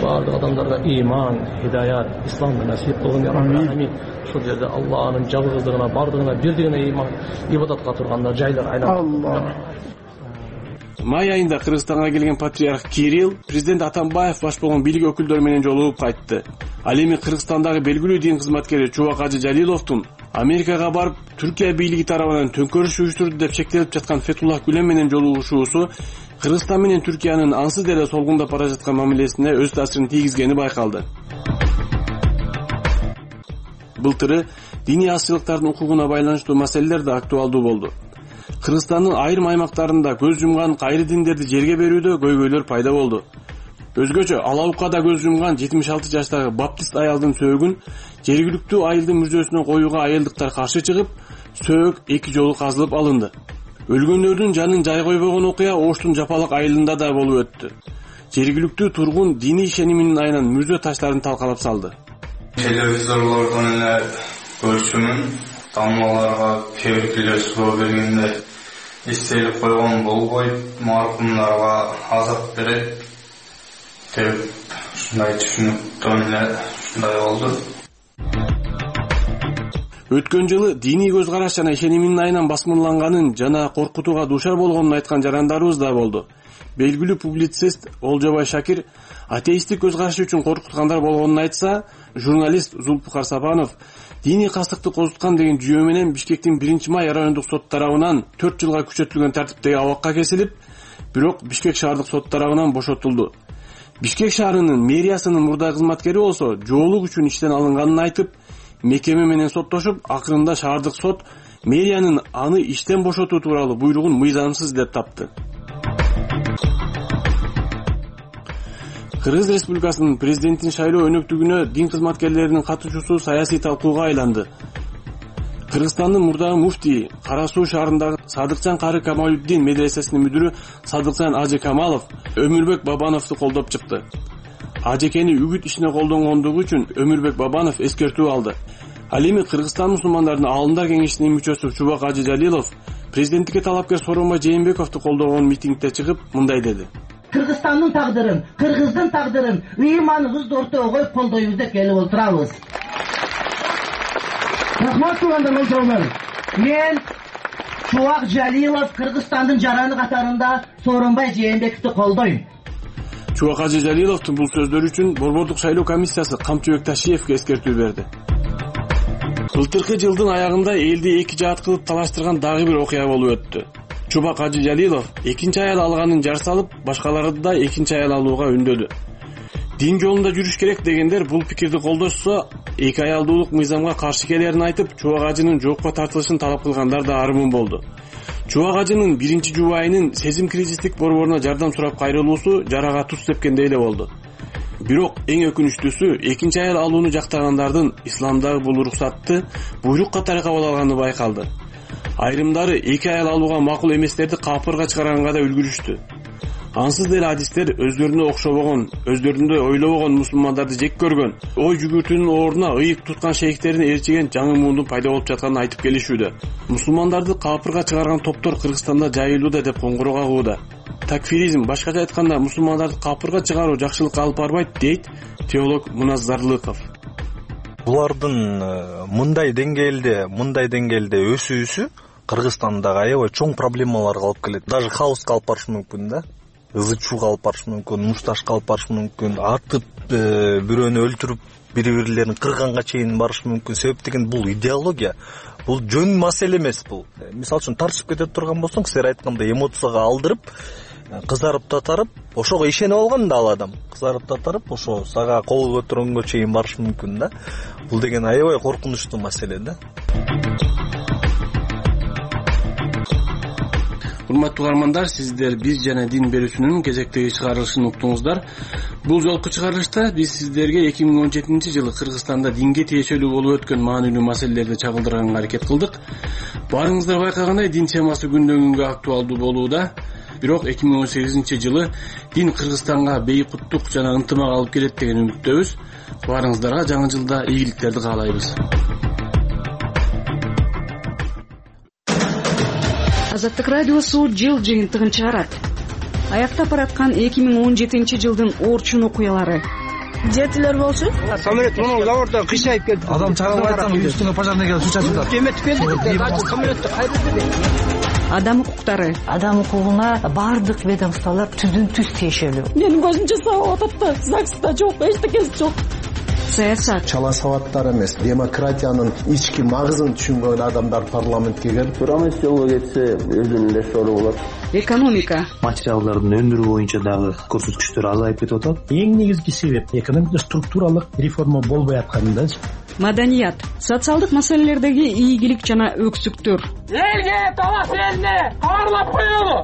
Бардык адамдарга иман, хидаят, исламды насип кылгын, амин. Ушул жерде Аллахнын жалгыздыгына, бардыгына бирдигине иман, ибадатка турганда жайлар айланат. Май айында Кыргызстанга келген патриарх Кирилл президент Атамбаев баш болгон бийлик өкүлдөрү менен жолугуп кайтты. Ал эми Кыргызстандагы белгилүү дин кызматкери Чубак Ажы Жалиловдун Америкага барып Түркия бийлиги тарабынан төңкөрүш уюштурду деп шектелип жаткан Фетуллах Гүлен менен жолугушуусу Кыргызстан менен Түркиянын ансыз деле солгундап бара жаткан мамилесине өз таасирин тийгизгени байкалды. Былтыры диний азчылыктардын укугуна байланыштуу маселелер да актуалдуу болду. Кыргызстандын айрым аймактарында көз жумган кайры диндерди жерге берүүдө көйгөйлөр пайда болду. Өзгөчө Алаукада көз жумган 76 жаштагы баптист аялдын сөөгүн жергиликтүү айылдын мүрзөсүнө коюуга айылдыктар каршы чыгып, сөөгү 2 жолу казылып алынды. Өлгөндөрдүн жанын жай койбогон окуя Оштун Жапалак айылында да болуп өттү. Жергиликтүү тургун диний ишениминин айынан мүрзө таштарын талкалап салды. Телевизорлордон эле көрчүмүн. Тамгаларга кээ бир кишилер суроо бергенде эстелик койгон болбойт, маркумдарга азап берет деп ушундай түшүнүктөн эле ушундай болду. Өткөн жылы диний көз караш жана ишениминин айынан басмырланганын жана коркутууга дуушар болгонун айткан жарандарыбыз да болду. Белгилүү публицист Олжобай Шакир атеисттик көз карашы үчүн коркуткандар болгонун айтса, журналист Зулпукар Сапанов диний кастыкты козуткан деген жүйө менен Бишкектин 1-май райондук сот тарабынан 4 жылга күчөтүлгөн тартиптеги абакка кесилип, бирок Бишкек шаардык сот тарабынан бошотулду. Бишкек шаарынын мэриясынын мурда кызматкери болсо жоолук үчүн иштен алынганын айтып, мекеме менен соттошуп, акырында шаардык сот мэриянын аны иштен бошотуу тууралуу буйругун мыйзамсыз деп тапты. Кыргыз Республикасынын президентин шайлоо өнөктүгүнө дин кызматкерлеринин катышуусу саясий талкууга айланды. Кыргызстандын мурдагы муфтии Кара Суу шаарындагы Садыкчан Кары Камалуддин медресесинин мүдүрү Садыкчан Ажы Камалов Өмүрбек Бабановду колдоп чыкты. Ажекени үгүт ишине колдонгондугу үчүн Өмүрбек Бабанов эскертүү алды. Ал эми Кыргызстан мусулмандарынын Аалымдар кеңешинин мүчөсү Чубак Ажы Жалилов президенттикке талапкер Сооронбай Жээнбековду колдогон митингде чыгып мындай деди. Кыргызстандын тагдырын, кыргыздын тагдырын ыйманыбызды ортого коюп колдойбуз деп келип отурабыз. Рахмат туугандар, мен Чубак Жалилов Кыргызстандын жараны катарында Сооронбай Жээнбековду колдойм. Чубак Ажы Жалиловдун бул сөздөрү үчүн Борбордук шайлоо комиссиясы Камчыбек Ташиевке эскертүү берди. Былтыркы жылдын аягында элди эки жаат кылып талаштырган дагы бир окуя болуп өттү. Чубак Ажы Жалилов экинчи аял алганын жар салып, башкаларды да экинчи аял алууга үндөдү. Дин жолунда жүрүш керек дегендер бул пикирди колдошсо, эки аялдуулук мыйзамга каршы келерин айтып, Чубак Ажынын жоопко тартылышын талап кылгандар да армын болду. Чубак Ажынын биринчи жубайынын сезим кризистик борборуна жардам сурап кайрылуусу жарага туз тепкендей эле болду. Бирок эң өкүнүчтүүсү экинчи аял алууну жактагандардын исламдагы бул уруксатты буйрук катары кабыл алганы байкалды. Айрымдары эки аял алууга макул эместерди капырга чыгарганга да үлгүрүштү. Ансыз деле адистер өздөрүнө окшобогон, өздөрүндөй ойлобогон мусулмандарды жек көргөн, ой жүгүртүүнүн ордуна ыйык туткан шейхтерин ээрчиген жаңы муундун пайда болуп жатканын айтып келишүүдө. Мусулмандарды капырга чыгарган топтор Кыргызстанда жайылууда деп коңгуроо кагууда. Такфиризм, башкача айтканда, мусулмандарды капырга чыгаруу жакшылыкка алып барбайт, дейт теолог Муназ Зарлыков. Булардын мындай деңгээлде өсүүсү Кыргызстандагы аябай чоң проблемаларга алып келет. Даже хаоска алып барышы мүмкүн да. Ызычууга алып барышы мүмкүн, мушташка алып барышы мүмкүн, атып, бирөөнү өлтүрүп, бири-бирлерин кырганга чейин барышы мүмкүн. Себеп деген бул идеология. Бул жөн маселе эмес бул. Мисалы үчүн тартышып кете турган болсоң, силер айткандай эмоцияга алдырып, кызарып татарып, ошого ишенип алган да ал адам. Кызарып татарып, ошо сага кол көтөргөнгө чейин барышы мүмкүн да. Бул деген аябай коркунучтуу маселе да. Урматтуу угармандар, сиздер биз жана дин берүүчүнүн кезектеги чыгарылышын уктуңуздар. Бул жолку чыгарылышта биз сиздерге 2017-жылы Кыргызстанда динге тиешелүү болуп өткөн маанилүү маселелерди чагылдырганга аракет кылдык. Баарыңыздар байкагандай, дин темасы күндөн күнгө актуалдуу болууда. Бирок 2018-жылы дин Кыргызстанга бейкуттук жана ынтымак алып келет деген үмүттөбүз. Баарыңыздарга жаңы жылда ийгиликтерди каалайбыз. Азаттык радиосу жыл жыйынтыгын чыгарат. Аяктап бараткан 2017-жылдын орчун окуялары. Жетилер болсун. Самолет мына заводдон кыйшайып келди. Адам чыгарып айтсам, үстүнө пожарный келип суу чачып атат. Эметип келди. Самолетти кайда? Адам укуктары. Адам укугуна бардык ведомстволор түздөн түз тиешелүү. Менин көзүмчө сабап атат. ЗАГСта жок, эчтекеси жок. Саясат. Чала сабаттар эмес, демократиянын ички магызын түшүнгөн адамдар парламентке келип, Рамес жолго кетсе өзүнүн эле сору болот. Экономика. Материалдардын өндүрүү боюнча дагы көрсөткүчтөр азайып кетип атат. Эң негизги себеп экономика структуралык реформа болбой атканында. Маданият. Социалдык маселелердеги ийгилик жана өксүктөр. Элге талап элне кабарлап коелу.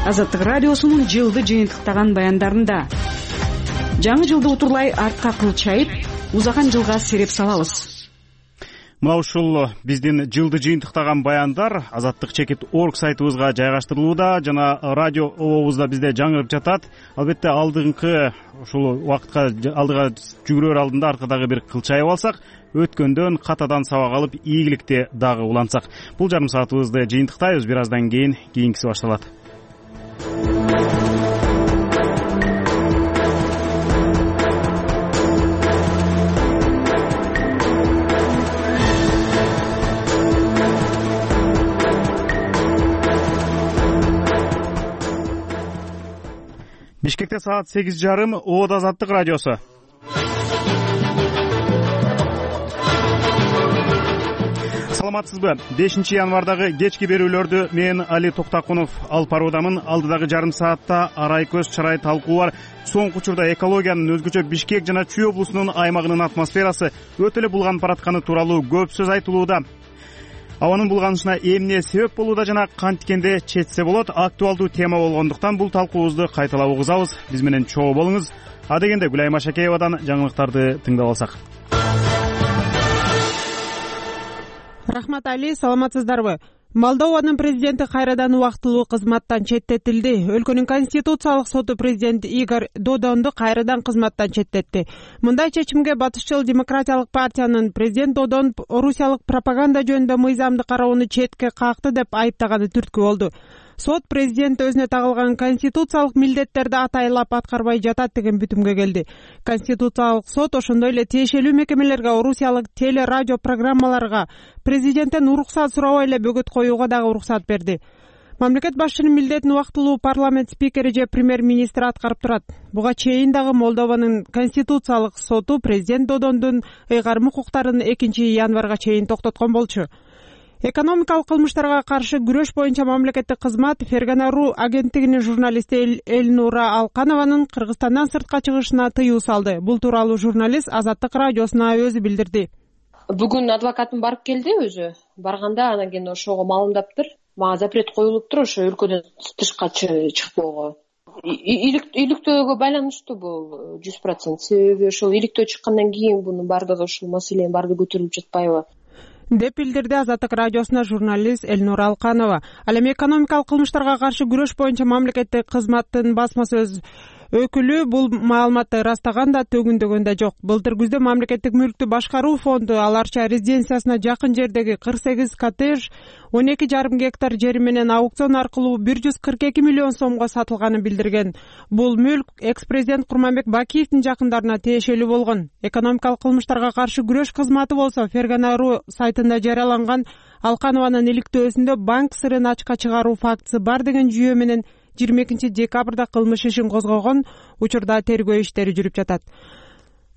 Азаттык радиосунун жылды жыйынтыктаган баяндарында жаңы жылды утурлай артка кылчайып, узаган жылга сереп салабыз. Мына ушул биздин жылды жыйынтыктаган баяндар azattik.org сайтыбызга жайгаштырылууда жана радио обобузда бизде жаңырып жатат. Албетте алдыңкы ушул убакытка алдыга жүгүрөр алдында аркадагы бир кылчайып алсак, өткөндөн катадан сабак алып ийгиликти дагы улантсак. Бул жарым саатыбызды жыйынтыктайбыз. Бир аздан кийинкиси башталат. Бишкекте саат 8:30. Оот Азаттык радиосу. Саламатсызбы? 5-январдагы кечки берүүлөрдү мен Али Токтакунов алып баруудамын. Алдыдагы жарым саатта арай көз чарай талкуу бар. Соңку учурда экологиянын өзгөчө Бишкек жана Чүй облусунун аймагынын атмосферасы өтө эле булганып баратканы тууралуу көп сөз айтылууда. Абанын булганышына эмне себеп болууда жана канткенде четсе болот актуалдуу тема болгондуктан бул талкуубузду кайталап угузабыз. Биз менен чогуу болуңуз. Адегенде Гүлайым Ашакеевадан жаңылыктарды тыңдап алсак. Рахмат Али, саламатсыздарбы? Молдованын президенти кайрадан убактылуу кызматтан четтетилди. Өлкөнүн конституциялык соту президент Игорь Додонду кайрадан кызматтан четтетти. Мындай чечимге батышчыл демократиялык партиянын президент Додон орусиялык пропаганда жөнүндө мыйзамды кароону четке какты деп айыптаганы түрткү болду. Сот президент өзүнө тагылган конституциялык милдеттерди атайлап аткарбай жатат деген бүтүмгө келди. Конституциялык сот ошондой эле тиешелүү мекемелерге, орусиялык теле радио программаларга президенттен уруксат сурабай эле бөгөт коюуга дагы уруксат берди. Мамлекет башчынын милдетин убактылуу парламент спикери же премьер-министр аткарып турат. Буга чейин дагы Молдованын конституциялык соту президент Додондун ыйгарым укуктарын 2-январга чейин токтоткон болчу. Экономикалык кылмыштарга каршы күрөш боюнча мамлекеттик кызмат Фергана.ру агенттигинин журналисти Эльнура Алканованын Кыргызстандан сыртка чыгышына тыюу салды. Бул тууралуу журналист Азаттык радиосуна өзү билдирди. Бүгүн адвокатым барып келди өзү. Барганда анан кийин ошого маалымдаптыр. Мага запрет коюлуптур ошо өлкөдөн тышка чыкпоого. Иликтөөгө байланыштуу бул 100%. Себеби ошол иликтөө чыккандан кийин бунун бардыгы ушул маселенин бардыгы көтөрүлүп жатпайбы деп билдирди Азаттык радиосуна журналист Эльнура Алканова. Ал эми экономикалык кылмыштарга каршы күрөш боюнча мамлекеттик кызматтын басма сөз өкүлү бул маалыматты ырастаган да, төгүндөгөн да жок. Былтыр күздө мамлекеттик мүлктү башкаруу фонду Аларча резиденциясына жакын жердеги 48 коттедж 12,5 гектар жери менен аукцион аркылуу 142 миллион сомго сатылганын билдирген. Бул мүлк экс-президент Курманбек Бакиевдин жакындарына тиешелүү болгон. Экономикалык кылмыштарга каршы күрөш кызматы болсо Фергана.ру сайтында жарыяланган Алканованын иликтөөсүндө банк сырын ачка чыгаруу фактысы бар деген жүйө менен 22 декабрда кылмыш ишин козгогон. Учурда тергөө иштери жүрүп жатат.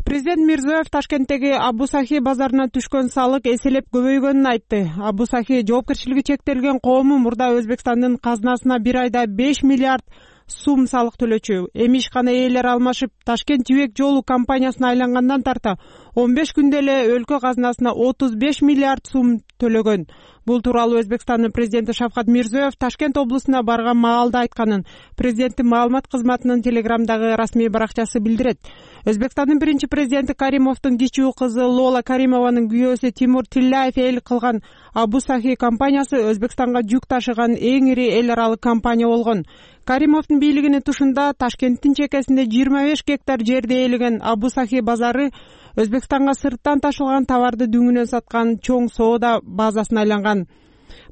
Президент Мирзиёев Ташкенттеги Абу-Сахи базарына түшкөн салык эселеп көбөйгөнүн айтты. Абу-Сахи жоопкерчилиги чектелген коому мурда Өзбекстандын казынасына бир айда 5 миллиард сум салык төлөчү. Эми ишкана ээлери алмашып, Ташкент жибек жолу компаниясына айлангандан тарта 15 күндө эле өлкө казынасына 35 миллиард сум төлөгөн. Бул тууралуу Өзбекстандын президенти Шавкат Мирзиёев Ташкент облусуна барган маалда айтканын президенттин маалымат кызматынын телеграмдагы расмий баракчасы билдирет. Өзбекстандын биринчи президенти Каримовдун кичүү кызы Лола Каримованын күйөөсү Тимур Тилляев эл кылган Абу-Сахи компаниясы Өзбекстанга жүк ташыган эң ири эл аралык компания болгон. Каримовдун бийлигинин тушунда Ташкенттин чекесинде 25 гектар жерди ээлеген Абу-Сахи базары Өзбекстанга сырттан ташылган товарды дүңүнөн саткан чоң соода базасына айланган.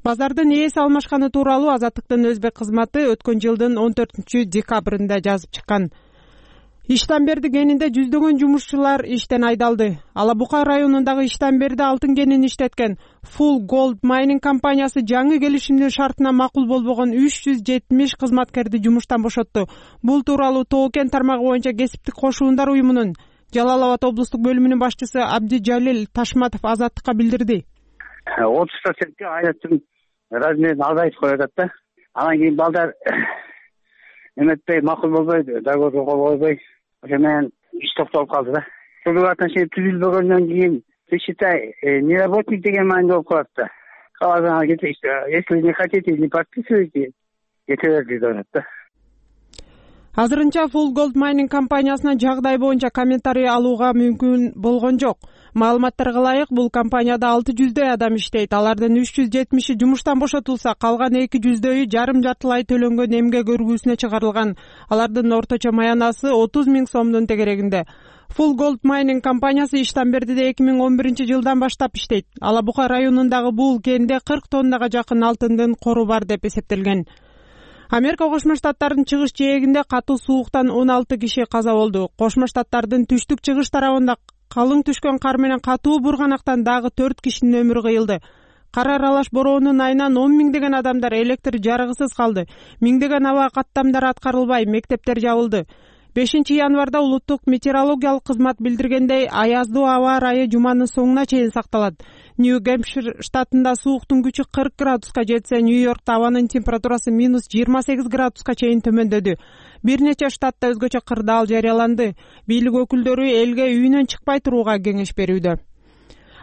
Базардын ээси алмашканы тууралуу Азаттыктын өзбек кызматы өткөн жылдын 14 декабрында жазып чыккан. Иштамберди кенинде жүздөгөн жумушчулар иштен айдалды. Алабука районундагы Иштамберди алтын кенин иштеткен Full Gold Mining компаниясы жаңы келишимдин шартына макул болбогон 370 кызматкерди жумуштан бошотту. Бул тууралуу Тоо кен тармагы боюнча кесиптик кошуундар уюмунун Жалал Абад облустук бөлүмүнүн башчысы Абдижалил Ташматов Азаттыкка билдирди. 30%ке айлыктын размерин азайтып коюп атат да. Анан кийин балдар эметпей, макул болбой, договорго кол койбой, ошо менен иш токтолуп калды да. Ошол отношение түзүлбөгөндөн кийин считай, неработник деген маанилүү болуп калат да. Калган если не хотите, не подписывайте, кете берди деп атат да. Азырынча Full Gold Mining компаниясына жагдай боюнча комментарий алууга мүмкүн болгон жок. Маалыматтарга ылайык, бул компанияда 600 адам иштейт. Алардын 370 жумуштан бошотулса, калган 200 жарым жартылай төлөнгөн эмгек өргүүсүнө чыгарылган. Алардын орточо маянасы 30 000 сомдун тегерегинде. Full Gold Mining компаниясы Иштанбердиде 2011-жылдан баштап иштейт. Ала Бука районундагы бул кенде 40 тоннага жакын алтындын кору бар деп эсептелген. Америка Кошмо Штаттарынын чыгыш жээгинде катуу сууктан 16 киши каза болду. Кошмо Штаттардын түштүк-чыгыш тарабында калың түшкөн кар менен катуу бурганактан дагы 4 кишинин өмүрү кыйылды. Кар аралаш бороонун айынан 10 миңдеген адамдар электр жарыгысыз калды. Миңдеген аба каттамдары аткарылбай, мектептер жабылды. 5 январда улуттук метеорологиялык кызмат билдиргендей, аяздуу аба ырайы жуманын соңуна чейин сакталат. Нью-Гэмпшир штатында сууктун күчү 40 градуска жетсе, Нью-Йоркто абанын температурасы -28 градуска чейин төмөндөдү. Бир нече штатта өзгөчө кырдаал жарыяланды. Бийлик өкүлдөрү элге үйүнөн чыкпай турууга кеңеш берүүдө.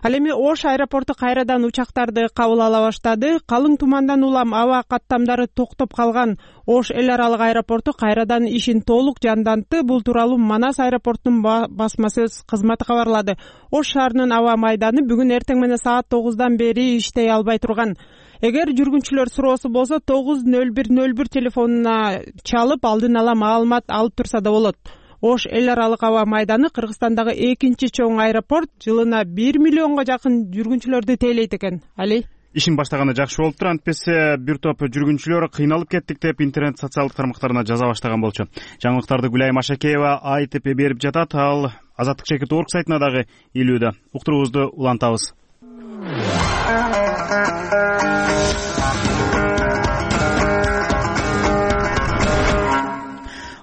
Ал эми Ош аэропорту кайрадан учактарды кабыл ала баштады. Калың тумандан улам аба каттамдары токтоп калган Ош эл аралык аэропорту кайрадан ишин толук жандантты. Бул тууралуу Манас аэропортунун басма сөз кызматы кабарлады. Ош шаарынын аба майданы бүгүн эртең менен саат 9-дан бери иштей албай турган. Эгер жүргүнчүлөр суроосу болсо 90101 телефонуна чалып алдын ала маалымат алып турса да болот. Ош эл аралык аба майданы Кыргызстандагы экинчи чоң аэропорт, жылына 1 миллионго жакын жүргүнчүлөрдү тейлейт экен. Али? Ишин баштаганы жакшы болуптур. Антпесе бир топ жүргүнчүлөр кыйналып кеттик деп интернет социалдык тармактарына жаза баштаган болчу. Жаңылыктарды Гүлай Машакеева айтып берип жатат. Ал Азаттык Чекит.org сайтына дагы илүүдө. Уктуруубузду улантабыз.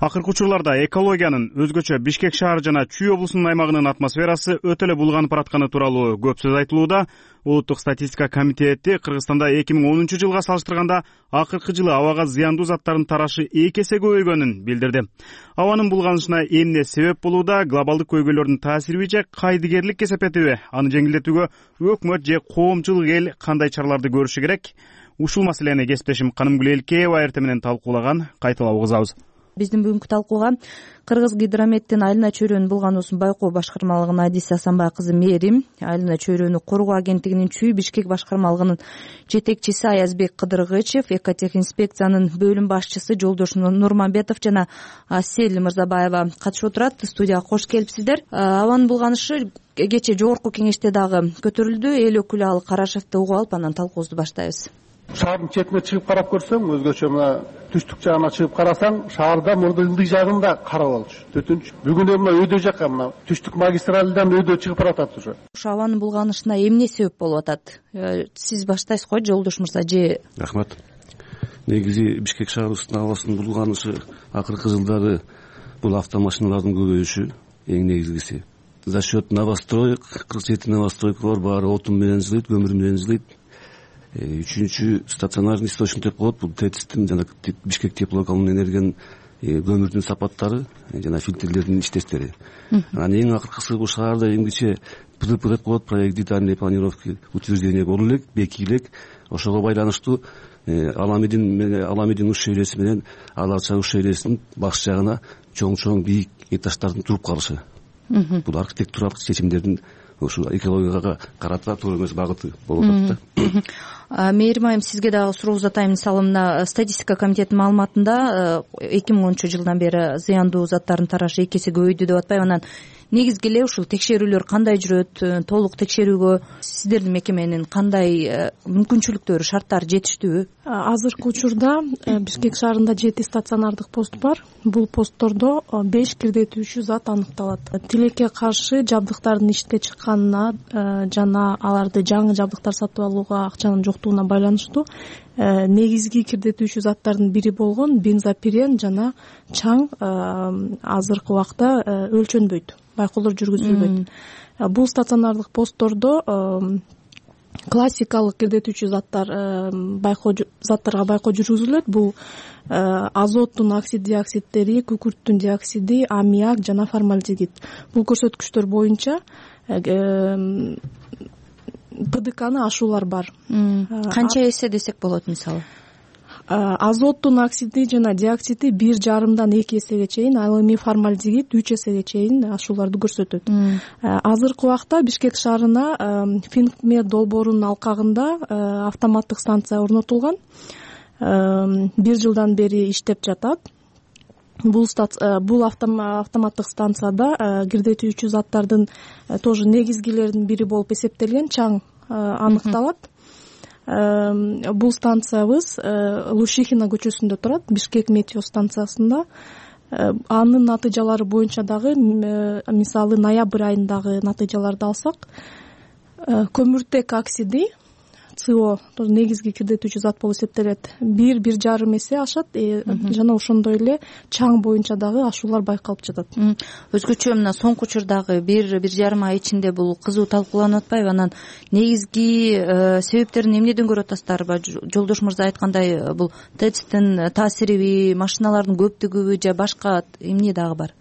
Акыркы учурларда экологиянын, өзгөчө Бишкек шаар жана Чүй облусунун аймагынын атмосферасы өтө эле булганып баратканы тууралуу көп сөз айтылууда. Улуттук статистика комитети Кыргызстанда 2010-жылга салыштырганда акыркы жылы абага зыяндуу заттардын тарашы 2 эсе көбөйгөнүн билдирди. Абанын булганышына эмне себеп болууда? Глобалдык көйгөйлөрдүн таасириби же кайдыгерлик кесепетиби? Аны жеңилдетүүгө өкмөт же коомчулук эл кандай чараларды көрүшү керек? Ушул маселени кесиптешим Канымгүл Элкеева эртең менен талкуулаган. Кайталап угузабыз. Биздин бүгүнкү талкууга Кыргыз гидрометтин Айлана чөйрөнүн булгануусун байкоо башкармалыгынын Адиси Асанбай кызы Мээрим, Айлана чөйрөнү коргоо агенттигинин Чүй Бишкек башкармалыгынын жетекчиси Аязбек Кыдыргычев, экотехинспекциянын бөлүм башчысы Жолдош Нурманбетов жана Асель Мырзабаева катышып отурат. Студияга кош келипсиздер. Абанын булганышы кечээ жогорку кеңеште дагы көтөрүлдү. Эл өкүлү ал Карашевди угуп алып, анан талкуубузду баштайбыз. Шаардын четине чыгып карап көрсөң, өзгөчө мына түштүк жагына чыгып карасаң, шаарда мурда ылдый жагында кара болчу, төтүнчү. Бүгүн мына өйдө жакка, мына түштүк магистралдан өйдө чыгып баратат уже. Ошо абанын булганышына эмне себеп болуп атат? Сиз баштайсыз го, Жолдош мырза же? Рахмат. Негизи Бишкек шаарыбыздын абасынын булганышы акыркы жылдары бул автомашиналардын көбөйүшү эң негизгиси. За счет новостроек, 47 новостройка бар, баары отун менен жылыйт, көмүр менен жылыйт. Үчүнчү стационарный источник деп коет, бул ТЭЦтин жана Бишкек теплокомунун энергиянын көмүрдүн сапаттары жана фильтрлердин иштештери. Анан эң акыркысы бул шаарда эмгиче ПДП деп коет, проект детальной планировки утверждение болуу элек, бекий элек. Ошого байланыштуу Аламидин уш шейлеси менен Алача уш шейлесинин баш жагына чоң бийик этаждардын туруп калышы. Бул архитектуралык чечимдердин ушул экологияга карата туура эмес багыты болуп атат да. Мээрим айым, сизге дагы суроо узатайын. Мисалы, мына статистика комитетинин маалыматында 2010-жылдан бери зыяндуу заттардын тарашы 2 эсе көбөйдү деп атпайбы? Анан негизги эле ушул текшерүүлөр кандай жүрөт? Толук текшерүүгө сиздердин мекеменин кандай мүмкүнчүлүктөрү, шарттары жетиштүүбү? Азыркы учурда Бишкек шаарында 7 стационардык пост бар. Бул посттордо 5 кирдетүүчү зат аныкталат. Тилекке каршы жабдыктардын ишке чыкканына жана аларды жаңы жабдыктар сатып алууга акчанын жоктугуна байланыштуу негизги кирдетүүчү заттардын бири болгон бензопирен жана чаң азыркы убакта өлчөнбөйт, байкоолор жүргүзүлбөйт. Бул стационардык посттордо классикалык кирдетүүчү заттарга байкоо жүргүзүлөт. Бул азоттун оксидиоксидтери, күкүрттүн диоксиди, аммиак жана формальдегид. Бул көрсөткүчтөр боюнча ПДКны ашуулар бар. Канча эсе десек болот мисалы? азоттун оксиди жана диоксиди 1,5-2 эсеге чейин, ал эми формальдегид 3 эсеге чейин ашууларды көрсөтөт. Азыркы убакта Бишкек шаарына Финкмед долбоорунун алкагында автоматтык станция орнотулган. 1 жылдан бери иштеп жатат. Бул автоматтык станцияда кирдетүүчү заттардын тоже негизгилеринин бири болуп эсептелген чаң аныкталат. Бул станциябыз Лушихина көчөсүндө турат, Бишкек метео станциясында. Анын натыйжалары боюнча дагы, мисалы ноябрь айындагы натыйжаларды алсак, көмүртек оксиди СО негизги кирдетүүчү зат болуп эсептелет. 1,5 эсе ашат, жана ошондой эле чаң боюнча дагы ашуулар байкалып жатат. Өзгөчө мына соңку учурдагы 1,5 ай ичинде бул кызуу талкууланып атпайбы? Анан негизги себептерин эмнеден көрүп атасыздарбы? Жолдош мырза айткандай, бул ТЭЦтин таасириби, машиналардын көптүгүбү же башка эмне дагы бар?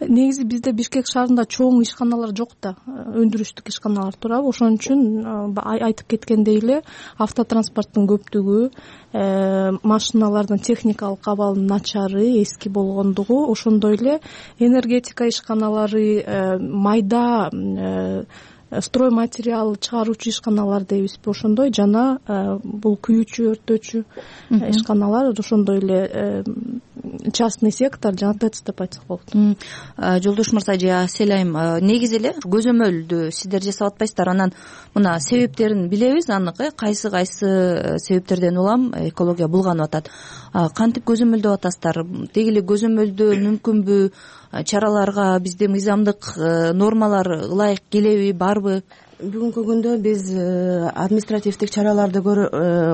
Негизи бизде Бишкек шаарында чоң ишканалар жок да, өндүрүштүк ишканалар турабы. Ошон үчүн айтып кеткендей эле автотранспорттун көптүгү, машиналардын техникалык абалынын начары, эски болгондугу, ошондой эле энергетика ишканалары, майда строй материал чыгаруучу ишканалар дейбизби, ошондой, жана бул күйүүчү, өрттөөчү ишканалар, ошондой эле частный сектор жана ТЭЦ деп айтсак болот. Жолдош мырза же Аселайым, негизи эле көзөмөлдү сиздер жасап атпайсыздар, анан мына себептерин билебиз анык, кайсы себептерден улам экология булганып атат. Кантип көзөмөлдөп атасыздар? Деги эле көзөмөлдөө мүмкүнбү? Чараларга бизде мыйзамдык нормалар ылайык келеби, барбы? Бүгүнкү күндө биз административдик чараларды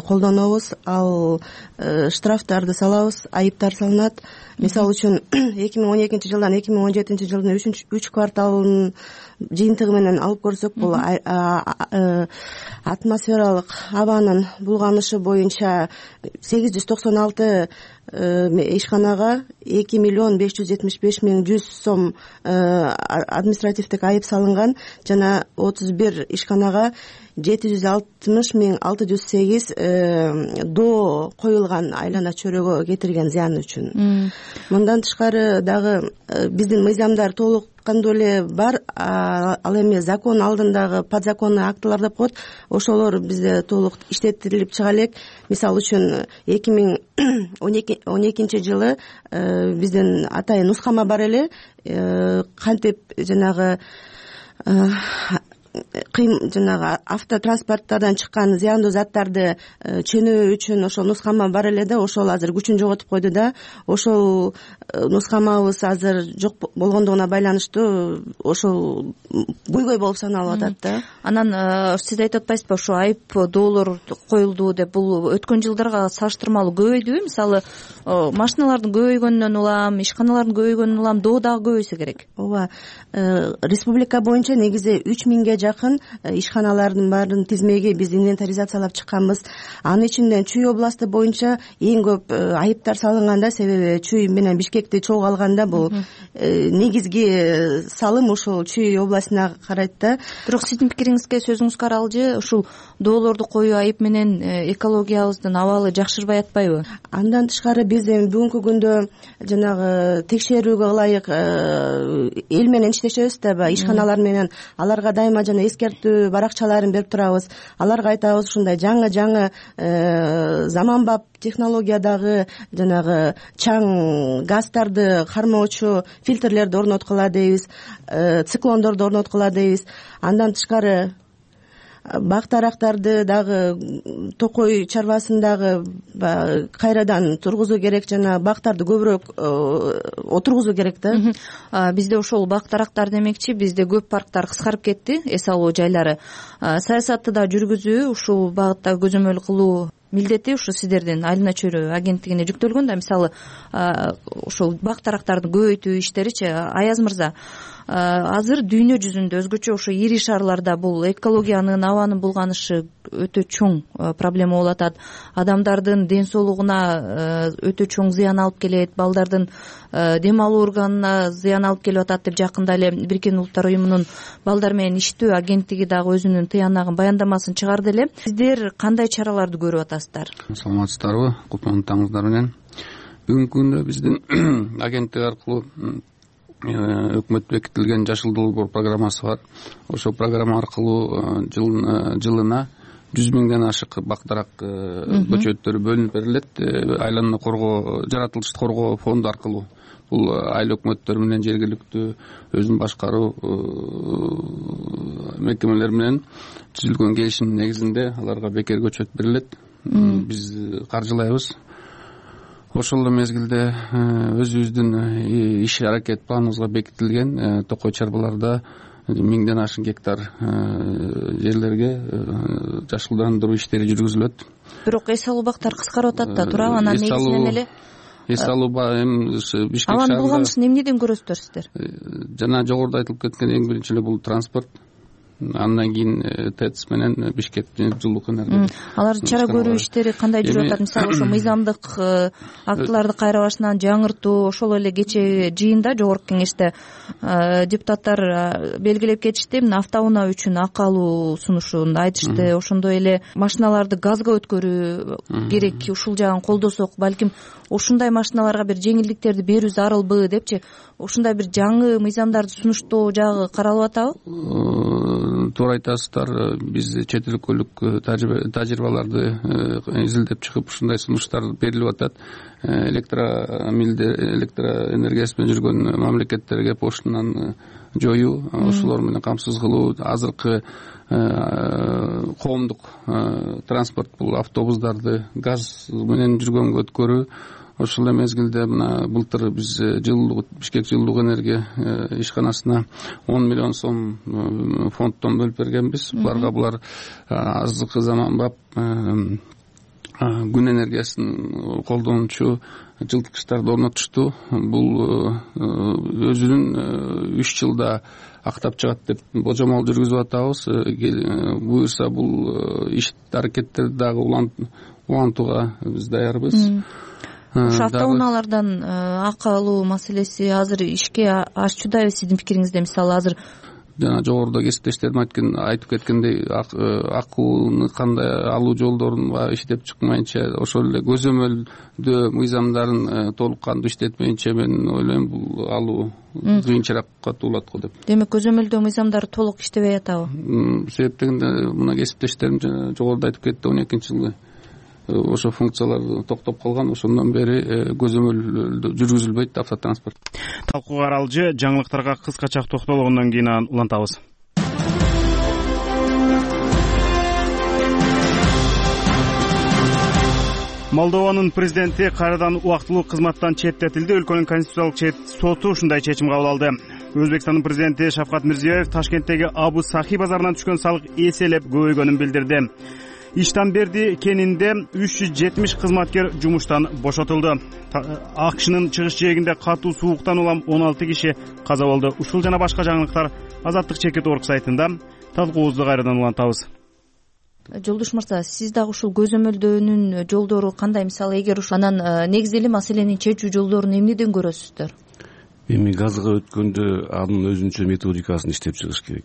колдонобуз, ал штрафтарды салабыз, айыптар салынат. Мисалы үчүн 2012 жылдан 2017 жылдын 3 кварталынын жыйынтыгы менен алып көрсөк, бул атмосфералык абанын булганышы боюнча 896 ишканага 2,575,100 сом административдик айып салынган, жана 31 ишканага 760,608 доо коюлган айлана чөйрөгө кетирген зыян үчүн. Мындан тышкары дагы биздин мыйзамдар толук кандуу эле бар, ал эми закон алдындагы подзаконный актылар деп коет, ошолор бизде толук иштетилип чыга элек. Мисалы үчүн 2012 жылы биздин атайын нускама бар эле, кантип жанагы автотранспорттардан чыккан зыяндуу заттарды чөнөө үчүн ошол нускама бар эле да, ошол азыр күчүн жоготуп койду да. Ошол нускамабыз азыр жок болгондугуна байланыштуу ошол буйгой болуп саналып атат да. Анан сиз айтып атпайсызбы, ошо айып доолор коюлду деп, бул өткөн жылдарга салыштырмалуу көбөйдүбү? Мисалы машиналардын көбөйгөнүнөн улам, ишканалардын көбөйгөнүнөн улам доо дагы көбөйсө керек. Ооба, республика боюнча негизи 3000 жакын ишканалардын баарын тизмеги биз инвентаризациялап чыкканбыз. Анын ичинде Чүй областы боюнча эң көп айыптар салынганда, себеби Чүй менен Бишкекти чогуу алганда бул негизги салым ушул Чүй областына карайт да. Бирок сиздин пикириңизге, сөзүңүзгө аралжы, ушул доолорду коюу айып менен экологиябыздын абалы жакшырбай атпайбы? Андан тышкары биз бүгүнкү күндө жанагы текшерүүгө ылайык эл менен иштешебиз да, ишканалар менен. Аларга дайыма жана эскертүү баракчаларын берип турабыз. Аларга айтабыз, ушундай жаңы заманбап технологиядагы жанагы чаң газдарды кармоочу фильтрлерди орноткула дейбиз, циклондорду орноткула дейбиз. Андан тышкары бак дарактарды дагы, токой чарбасын дагы кайрадан тургузуу керек, жана бактарды көбүрөөк отургузуу керек да. Бизде ошол бак дарактар демекчи, бизде көп парктар кыскарып кетти, эс алуу жайлары. Саясатты да жүргүзүү, ушул багытта көзөмөл кылуу милдети ушу сиздердин айлана чөйрө агенттигине жүктөлгөн да. Мисалы ушул бак дарактарды көбөйтүү иштеричи. Аяз мырза, азыр дүйнө жүзүндө өзгөчө ошо ири шаарларда бул экологиянын, абанын булганышы өтө чоң проблема болуп атат. Адамдардын ден соолугуна өтө чоң зыян алып келет, балдардын дем алуу органына зыян алып келип атат деп жакында эле Бириккен Улуттар уюмунун балдар менен иштөө агенттиги дагы өзүнүн тыянагын баяндамасын чыгарды эле. Сиздер кандай чараларды көрүп атасыздар? Саламатсыздарбы? Кутмандуу таңыңыздар менен. Бүгүнкү күндө биздин агенттик аркылуу өкмөт бекитилген Жашыл долбоор программасы бар. Ошол программа аркылуу жылына 100 миңден ашык бактарак көчөттөр бөлүнүп берилет. Айлананы коргоо, жаратылышты коргоо фонду аркылуу. Бул айыл өкмөттөр менен жергиликтүү өзүн башкаруу мекемелер менен түзүлгөн келишимдин негизинде аларга бекер көчөт берилет. Биз каржылайбыз. Ошол эле мезгилде өзүбүздүн иш аракет планыбызга бекитилген токой чарбаларда 1000ден ашык гектар жерлерге жашылдандыруу иштери жүргүзүлөт. Бирок эс алуу бактар кыскарып атат да, туурабы? Анан негизинен эле эс алуу Бишкек шаарында абанын булганышын эмнеден көрөсүздөр сиздер? Жана жогоруда айтылып кеткен эң биринчи эле бул транспорт. Андан кийин ТЭЦ менен Бишкек жылуулук энергия. Алар чара көрүү иштери кандай жүрүп атат? Мисалы ошо мыйзамдык актыларды кайра башынан жаңыртуу, ошол эле кече жыйында жогорку кеңеште депутаттар белгилеп кетишти. Мына автоунаа үчүн акы алуу сунушун айтышты. Ошондой эле машиналарды газга өткөрүү керек. Ушул жагын колдосок, балким ушундай машиналарга бир жеңилдиктерди берүү зарылбы депчи, ушундай бир жаңы мыйзамдарды сунуштоо жагы каралып атабы? Туура айтасыздар. Биз чет өлкөлүк тажрыйбаларды изилдеп чыгып ушундай сунуштар берилип атат. Электроэнергиясы менен жүргөн мамлекеттерге поштаны жоюу, ошолор менен камсыз кылуу, азыркы коомдук транспорт бул автобустарды газ менен жүргөнгө өткөрүү. Ошол эле мезгилде мына былтыр биз Бишкек жылуулук энергия ишканасына 10 миллион сом фонддон бөлүп бергенбиз. Булар азыркы заманбап күн энергиясын колдонуучу жылыткычтарды орнотушту. Бул өзүнүн 3 жылда актап чыгат деп божомол жүргүзүп атабыз. Буюрса бул иш аракеттерди дагы улантууга биз даярбыз. Ошо автоунаалардан акы алуу маселеси азыр ишке ашчудайбы сиздин пикириңизде? Мисалы азыр жана жогоруда кесиптештерим айтып кеткендей, акыны кандай алуу жолдорун иштеп чыкмайынча, ошол эле көзөмөлдөө мыйзамдарын толук кандуу иштетмейинче мен ойлойм бул алуу кыйынчыраакка туулат го деп. Демек көзөмөлдөө мыйзамдары толук иштебей атабы? Себеп дегенде мына кесиптештерим жогоруда айтып кетти, 12-жылы ошо функциялар токтоп калган. Ошондон бери көзөмөл жүргүзүлбөйт автотранспорт. Талкууга аралжы жаңылыктарга кыскача токтолгондон кийин улантабыз. Молдованын президенти кайрадан убактылуу кызматтан четтетилди. Өлкөнүн конституциялык соту ушундай чечим кабыл алды. Өзбекстандын президенти Шавкат Мирзиёев Ташкенттеги Абу Сахи базарынан түшкөн салык эселеп көбөйгөнүн билдирди. Иштан берди кенинде 370 кызматкер жумуштан бошотулду. АКШнын чыгыш жээгинде катуу сууктан улам 16 киши каза болду. Ушул жана башка жаңылыктар Азаттык чекит.org сайтында. Талкуубузду кайрадан улантабыз. Жолдош мырза, сиз дагы ушул көзөмөлдөөнүн жолдору кандай? Мисалы эгер ушул анан негизги маселени чечүү жолдорун эмнеден көрөсүздөр? Эми газга өткөндө анын өзүнчө методикасын иштеп чыгыш керек.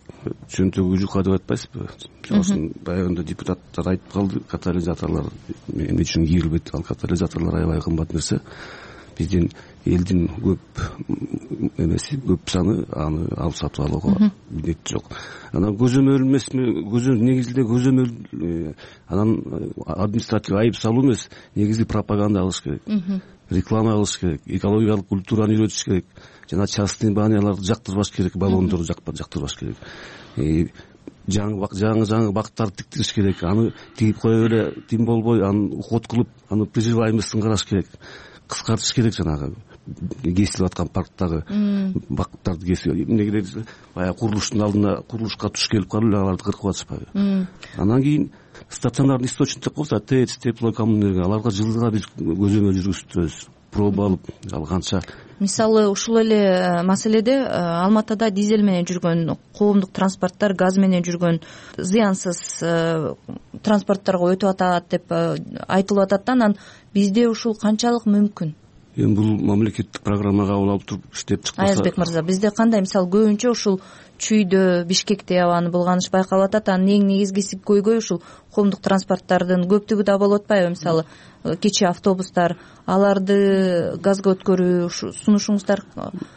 Чөнтөгү жука деп айтпайсызбы? Ошон баягында депутаттар айтып калды, катализаторлор эмне үчүн кийилбейт? Ал катализаторлор аябай кымбат нерсе. Биздин элдин көп саны аны алып сатып алууга милдет жок. Анан көзөмөл эмесми? Негизинде көзөмөл анан административдик айып салуу эмес, негизи пропаганда кылыш керек. Реклама кылыш керек, экологиялык культураны үйрөтүш керек, жана частный баняларды жактырбаш керек, баллондорду жактырбаш керек. Жаңы бактарды тиктириш керек. Аны тигип коюп эле тим болбой, аны уход кылып, аны приживаемостун караш керек. Кыскартыш керек жанагы кесилип аткан парктагы бактарды кесип. Эмнеге баягы курулуштун алдына курулушка туш келип калып эле аларды кыркып атышпайбы? Анан кийин стационарный источник болсо ТЭЦ, теплокоммунэнерго, аларга жылга биз көзөмөл жүргүзүп турабыз. проба алып ал канча. Мисалы ушул эле маселеде Алматыда дизель менен жүргөн коомдук транспорттор, газ менен жүргөн зыянсыз транспорттторго өтүп атат деп айтылып атат да. Анан бизде ушул канчалык мүмкүн? Эми бул мамлекеттик программа кабыл алып туруп иштеп чыкпаса. Аязбек мырза, бизде кандай? Мисалы көбүнчө ушул Чүйдө, Бишкекте абаны булганыш байкалып атат. Анын эң негизгиси көйгөй ушул коомдук транспорттардын көптүгү да болуп атпайбы? Мисалы кичи автобустар, аларды газга өткөрүү, сунушуңуздар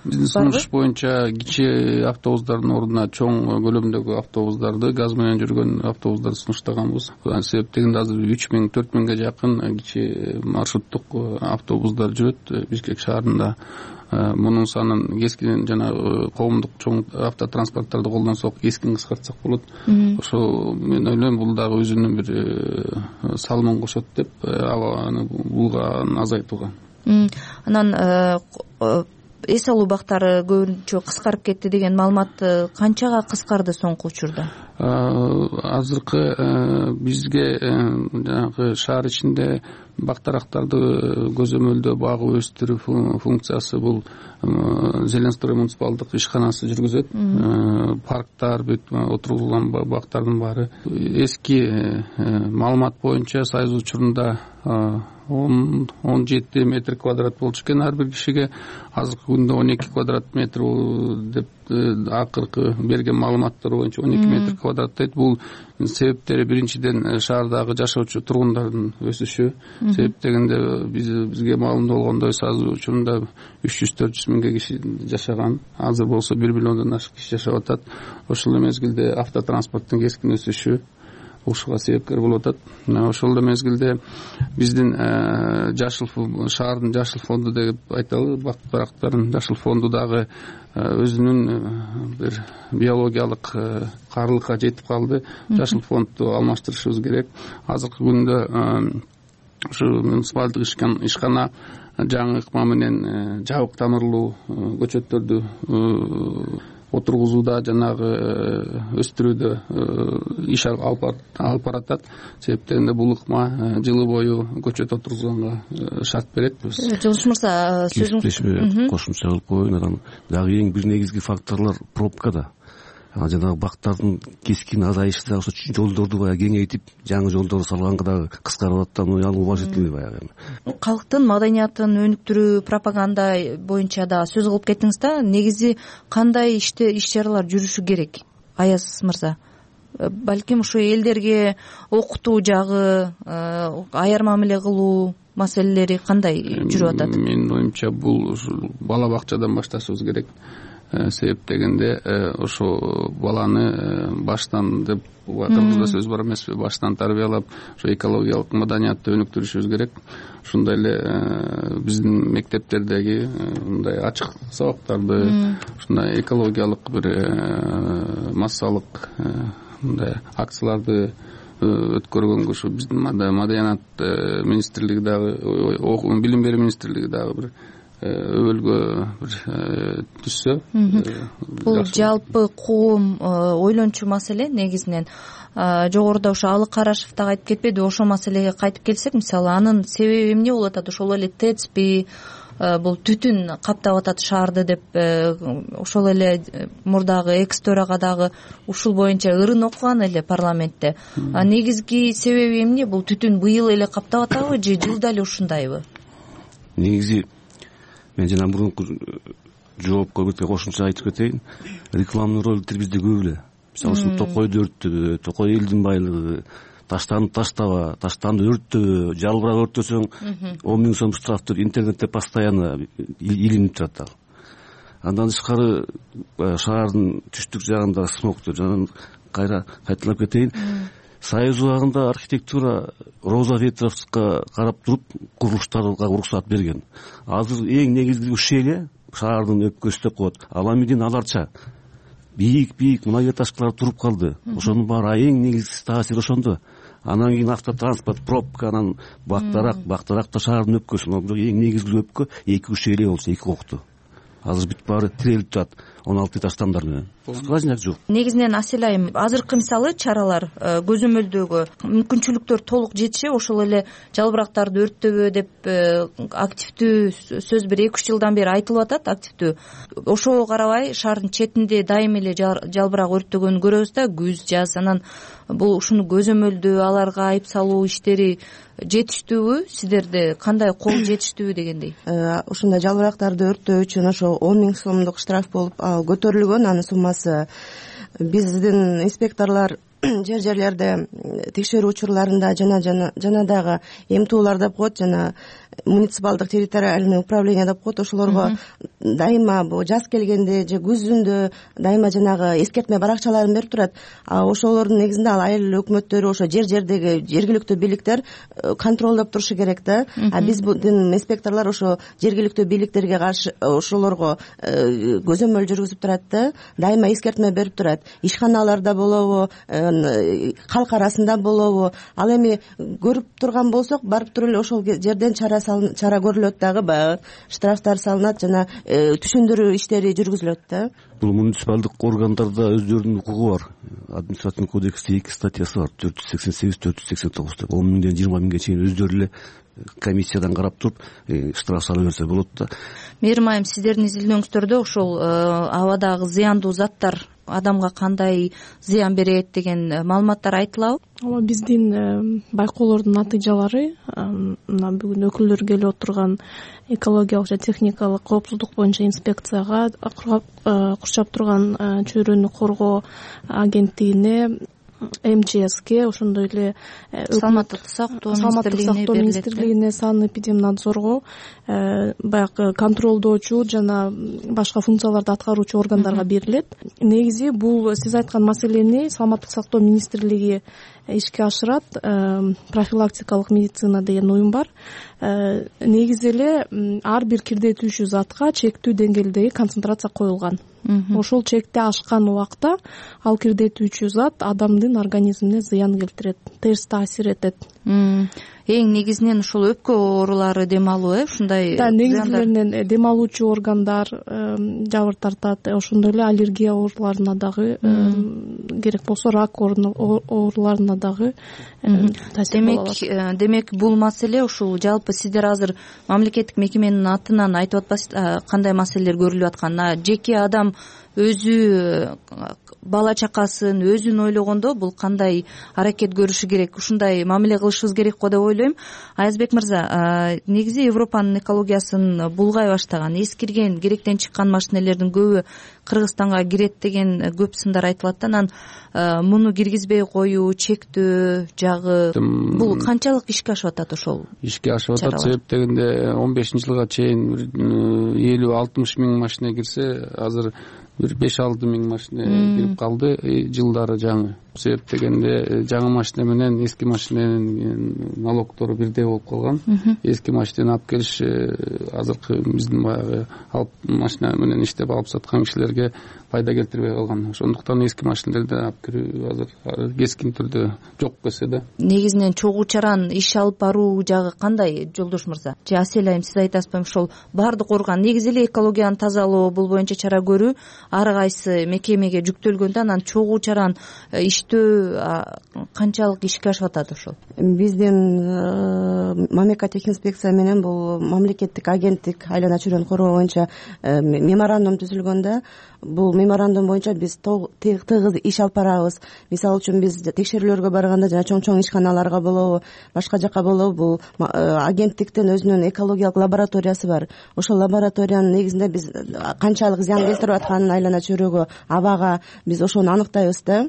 биздин сунуш боюнча кичи автобустардын ордуна чоң көлөмдөгү автобустарды, газ менен жүргөн автобустарды сунуштаганбыз. Себептегенде азыр 3000-4000ге жакын кичи маршруттук автобустар жүрөт Бишкек шаарында. Мунун санын кескин жана коомдук чоң автотранспорттарды колдонсок кескин кыскартсак болот. Ошо мен ойлойм бул дагы өзүнүн бир салымын кошот деп булганы азайтууга. Анан эс алуу убактары көбүнчө кыскарып кетти деген маалымат канчага кыскарды соңку учурда? Азыркы бизге жанагы шаар ичинде бактарактарды көзөмөлдөө, багып өстүрүү функциясы бул Зеленстрой муниципалдык ишканасы жүргүзөт. Парктар, бүт отургузулган бактардын баары. Эски маалымат боюнча Союз учурунда 17 метр квадрат болчу экен ар бир кишиге. Азыркы күндө 12 квадрат метр деп акыркы берген маалыматтар боюнча 12 метр квадрат дейт. Бул себептери биринчиден шаардагы жашоочу тургундардын өсүшү. Себеп дегенде бизге маалым болгондой Союз учурунда 300-400 миңге киши жашаган. Азыр болсо 1 миллиондон ашык киши жашап атат. Ошол эле мезгилде автотранспорттун кескин өсүшү ушуга себепкер болуп атат. Ошол эле мезгилде биздин шаардын жашыл фонду деп айталы, бактарактардын жашыл фонду дагы өзүнүн бир биологиялык каарылыкка жетип калды. Жашыл фондду алмаштырышыбыз керек. Азыркы күндө ушу муниципалдык ишкана жаңы ыкма менен жабык тамырлуу көчөттөрдү отургузууда, жанагы өстүрүүдө иш алып баратат. Себептегенде бул ыкма жылы бою көчөт отургузганга шарт берет. Жолуш мырза, сөзүңүз кошумча кылып коеюн. Анан дагы эң бир негизги факторлор пробкада. Жанагы бактардын кескин азайышы дагы ошо жолдорду баягы кеңейтип, жаңы жолдор салганга дагы кыскарып атат. Ал уважительный баягы. Калктын маданиятын өнүктүрүү, пропаганда боюнча да сөз кылып кеттиңиз да. Негизи кандай иш-чаралар жүрүшү керек? Аяз мырза, балким ушу элдерге окутуу жагы, аяр мамиле кылуу маселелери кандай жүрүп атат? Менин оюмча бул бала бакчадан башташыбыз керек. Себеп дегенде ошо баланы баштан деп кыргызда сөз бар эмеспи, баштан тарбиялап ошо экологиялык маданиятты өнүктүрүшүбүз керек. Ошондой эле биздин мектептердеги мындай ачык сабактарды, ушундай экологиялык бир массалык мындай акцияларды өткөргөнгө ушу биздин маданият министрлиги дагы, билим берүү министрлиги дагы бир өбөлгө бир түшсө. Бул жалпы коом ойлончу маселе негизинен. Жогоруда ошо Алык Карашев дагы айтып кетпеди, ошол маселеге кайтып келсек, мисалы анын себеби эмне болуп атат? Ошол эле ТЭЦпи, бул түтүн каптап атат шаарды деп ошол эле мурдагы экс төрага дагы ушул боюнча ырын окуган эле парламентте. Негизги себеби эмне? Бул түтүн быйыл эле каптап атабы же жылда эле ушундайбы? Негизи мен жана мурунку жоопко бир кошумча айтып кетейин. Рекламный роликтер бизде көп эле. Мисалы ушул Токойду өрттөбө, Токой элдин байлыгы, таштанды таштаба, таштанды өрттөбө, жалбырак өрттөсөң 10 000 сом штраф деп интернетте постоянно илинип турат. Андан тышкары шаардын түштүк жагында смоктор жана кайра кайталап кетейин. Союз убагында архитектура Роза Ветровскага карап туруп курулуштарга уруксат берген. Азыр эң негизги ушел шаардын өпкөсү деп коет. Аламидин аларча бийик многоэтажкалар туруп калды. Ошонун баары эң негизги таасир ошондо. Анан кийин автотранспорт, пробка, анан бактаракта шаардын өпкөсү. Эң негизги өпкө 2 ушел болчу, 2 кокту. Азыр бүт баары тирелип жатат 16 этаж тамдар менен. скважина жок. Негизинен Асель айым, азыркы мисалы чаралар көзөмөлдөгө мүмкүнчүлүктөр толук жетиши, ошол эле жалбырактарды өрттөбө деп активдүү сөз бир 2-3 жылдан бери айтылып атат, активдүү. Ошого карабай шаардын четинде дайым эле жалбырак өрттөгөнүн көрөбүз да, күз, жаз. Анан бул ушуну көзөмөлдөө, аларга айып салуу иштери жетиштүүбү? Сиздерде кандай кол жетиштүүбү дегендей? Ушундай жалбырактарды өрттөө үчүн ошо 10 000 сомдук штраф болуп көтөрүлгөн. Анын суммасы биздин инспекторлор жерлерде текшерүү учурларында жана дагы эмтуулар деп коет, жана муниципалдык территориальный управление деп коет, ошолорго дайыма бул жаз келгенде же күзүндө дайыма жанагы эскертме баракчаларын берип турат. Ошолордун негизинде ал айыл өкмөттөрү, ошо жердеги жергиликтүү бийликтер контролдоп турушу керек да. Биздин инспекторлор ошо жергиликтүү бийликтерге каршы ошолорго көзөмөл жүргүзүп турат да, дайыма эскертме берип турат. Ишканаларда болобу, калк арасында болобу, ал эми көрүп турган болсок, барып туруп эле ошол жерден чара көрүлөт, дагы баягы штрафтар салынат, жана түшүндүрүү иштери жүргүзүлөт да. Бул муниципалдык органдарда өздөрүнүн укугу бар. Административный кодексте 2 статьясы бар, 488-489 деп. 10 000-ден 20 000ге чейин өздөрү эле комиссиядан карап туруп штраф салып берсе болот да. Мээрим айым, сиздердин изилдөөңүздөрдө ошол абадагы зыяндуу заттар адамга кандай зыян берет деген маалыматтар айтылабы? Ооба, биздин байкоолордун натыйжалары мына бүгүн өкүлдөр келип отурган экологиялык жана техникалык коопсуздук боюнча инспекцияга, курчап турган чөйрөнү коргоо агенттигине, МЧСке, ошондой эле саламаттык сактоо министрлигине, санэпидемнадзорго, баягы контролдоочу жана башка функцияларды аткаруучу органдарга берилет. Негизи бул сиз айткан маселени саламаттык сактоо министрлиги ишке ашырат. Профилактикалык медицина деген уюм бар. Негизи эле ар бир кирдетүүчү затка чектүү деңгээлдеги концентрация коюлган. Ошол чекти ашкан убакта ал кирдетүүчү зат адамдын организмине зыян келтирет, терс таасир этет. Эң негизинен ушул өпкө оорулары дем алуу, ушундай негизлеринен дем алуучу органдар жабыр тартат, ошондой эле аллергия ооруларына дагы, керек болсо рак ооруларына дагы таасир болот. Демек бул маселе ушул жалпы сиздер азыр мамлекеттик мекеменин атынан айтып атпайсыздар кандай маселелер көрүлүп атканын? Жеке адам өзү бала чакасын өзүн ойлогондо бул кандай аракет көрүшү керек, ушундай мамиле кылышыбыз керек го деп ойлойм. Аязбек мырза, негизи Европанын экологиясын булгай баштаган, эскирген, керектен чыккан машинелердин көбү Кыргызстанга кирет деген көп сындар айтылат да. Анан муну киргизбей коюу, чектөө жагы бул канчалык ишке ашып атат? Ошол ишке ашып атат, себеп дегенде 15-жылга чейин 50-60 миң машина кирсе, азыр бир 5-6 миң машина кирип калды жылдары жаңы. Себеп дегенде жаңы машина менен эски машинанын налогтору бирдей болуп калган. Эски машинаны алып келиш азыркы биздин баягы алып машина менен иштеп алып саткан кишилерге пайда келтирбей калган. Ошондуктан эски машиналерди алып кирүү азыр кескин түрдө жок келсе да. Негизинен чогуу чаран иш алып баруу жагы кандай, Жолдош мырза? Же Асель айым, сиз айтасызбы? Ошол баардык орган негизи эле экологияны тазалоо, бул боюнча чара көрүү ар кайсы мекемеге жүктөлгөндө, анан чогуу чаран иштөө канчалык ишке ашып атат ошол? Биздин мамлекеттик техинспекция менен бул мамлекеттик агенттик айлана чөйрөнү коргоо боюнча меморандум түзүлгөн да. Бул меморандум боюнча биз тыгыз иш алып барабыз. Мисалы үчүн биз текшерүүлөргө барганда жана чоң ишканаларга болобу, башка жака болобу, бул агенттиктин өзүнүн экологиялык лабораториясы бар. Ошол лабораториянын негизинде биз канчалык зыян келтирип атканын айлана чөйрөгө, абага биз ошону аныктайбыз да.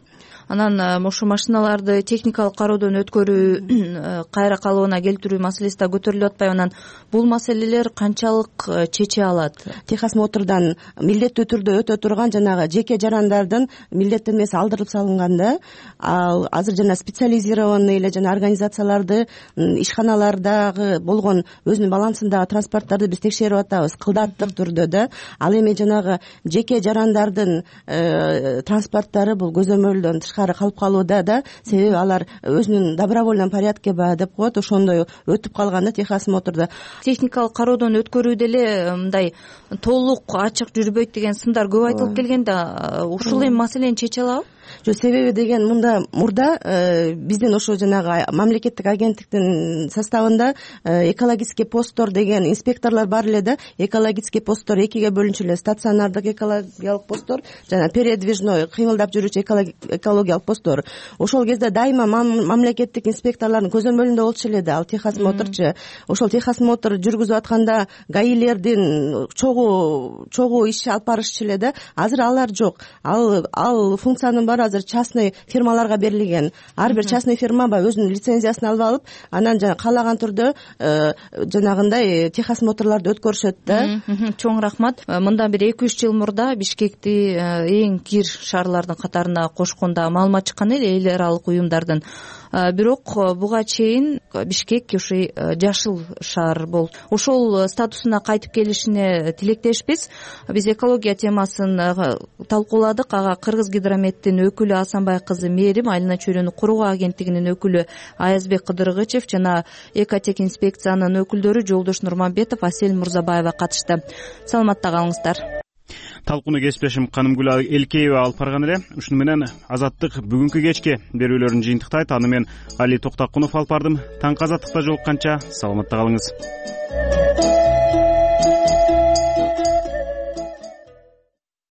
Анан ошо машиналарды техникалык кароодон өткөрүү, кайра калыбына келтирүү маселеси да көтөрүлүп атпайбы? Анан бул маселелер канчалык чече алат? Техосмотрдан милдеттүү түрдө өтө турган жанагы жеке жарандардын милдеттенмеси алдырып салынган да. Ал азыр жана специализированный эле жана организацияларды, ишканалардагы болгон өзүнүн балансындагы транспорттарды биз текшерип атабыз кылдаттык түрдө да. Ал эми жанагы жеке жарандардын транспорттары бул көзөмөлдөн тышкары катары калып калууда да, себеби алар өзүнүн добровольном порядке баягы деп коет, ошондой өтүп калган да Техас Мотордо. Техникалык кароодон өткөрүүдө эле мындай толук ачык жүрбөйт деген сындар көп айтылып келген да, ушул эми маселени чече алабы? Жок, себеби деген мурда биздин ошо жанагы мамлекеттик агенттиктин составында экологический посттор деген инспекторлор бар эле да. Экологический посттор экиге бөлүнчү эле: стационардык экологиялык посттор жана передвижной кыймылдап жүрүүчү экологиялык посттор. Ошол кезде дайыма мамлекеттик инспекторлордун көзөмөлүндө болчу эле да ал Техас Моторчу. Ошол Техас Мотор жүргүзүп атканда гаилердин чогуу иш алып барышчу эле да. Азыр алар жок. Ал функциянын баары азыр частный фирмаларга берилген. Ар бир частный фирма баягы өзүнүн лицензиясын алып алып, анан жана каалаган түрдө жанагындай Техас Моторлорду өткөрүшөт да. Чоң рахмат. Мындан бир 2-3 жыл мурда Бишкекти эң кир шаарлардын катарына кошкондо маалымат чыккан эле эл аралык уюмдардын. Бирок буга чейин Бишкек ушул жашыл шаар болуп, ошол статусуна кайтып келишине тилектешпиз. Биз экология темасын талкууладык. Ага Кыргызгидрометтин өкүлү Асанбай кызы Мээрим, Айлана чөйрөнү куруу агенттигинин өкүлү Аязбек Кыдыргычев жана Экотек инспекциянын өкүлдөрү Жолдош Нурманбетов, Асель Мурзабаева катышты. Саламатта калыңыздар. Талкууну кесиптешим Канымгүл Элкеева алып барган эле. Ушуну менен Азаттык бүгүнкү кечке берүүлөрүн жыйынтыктайт. Аны мен Али Токтакунов алып бардым. Таңкы Азаттыкта жолукканча саламатта калыңыз.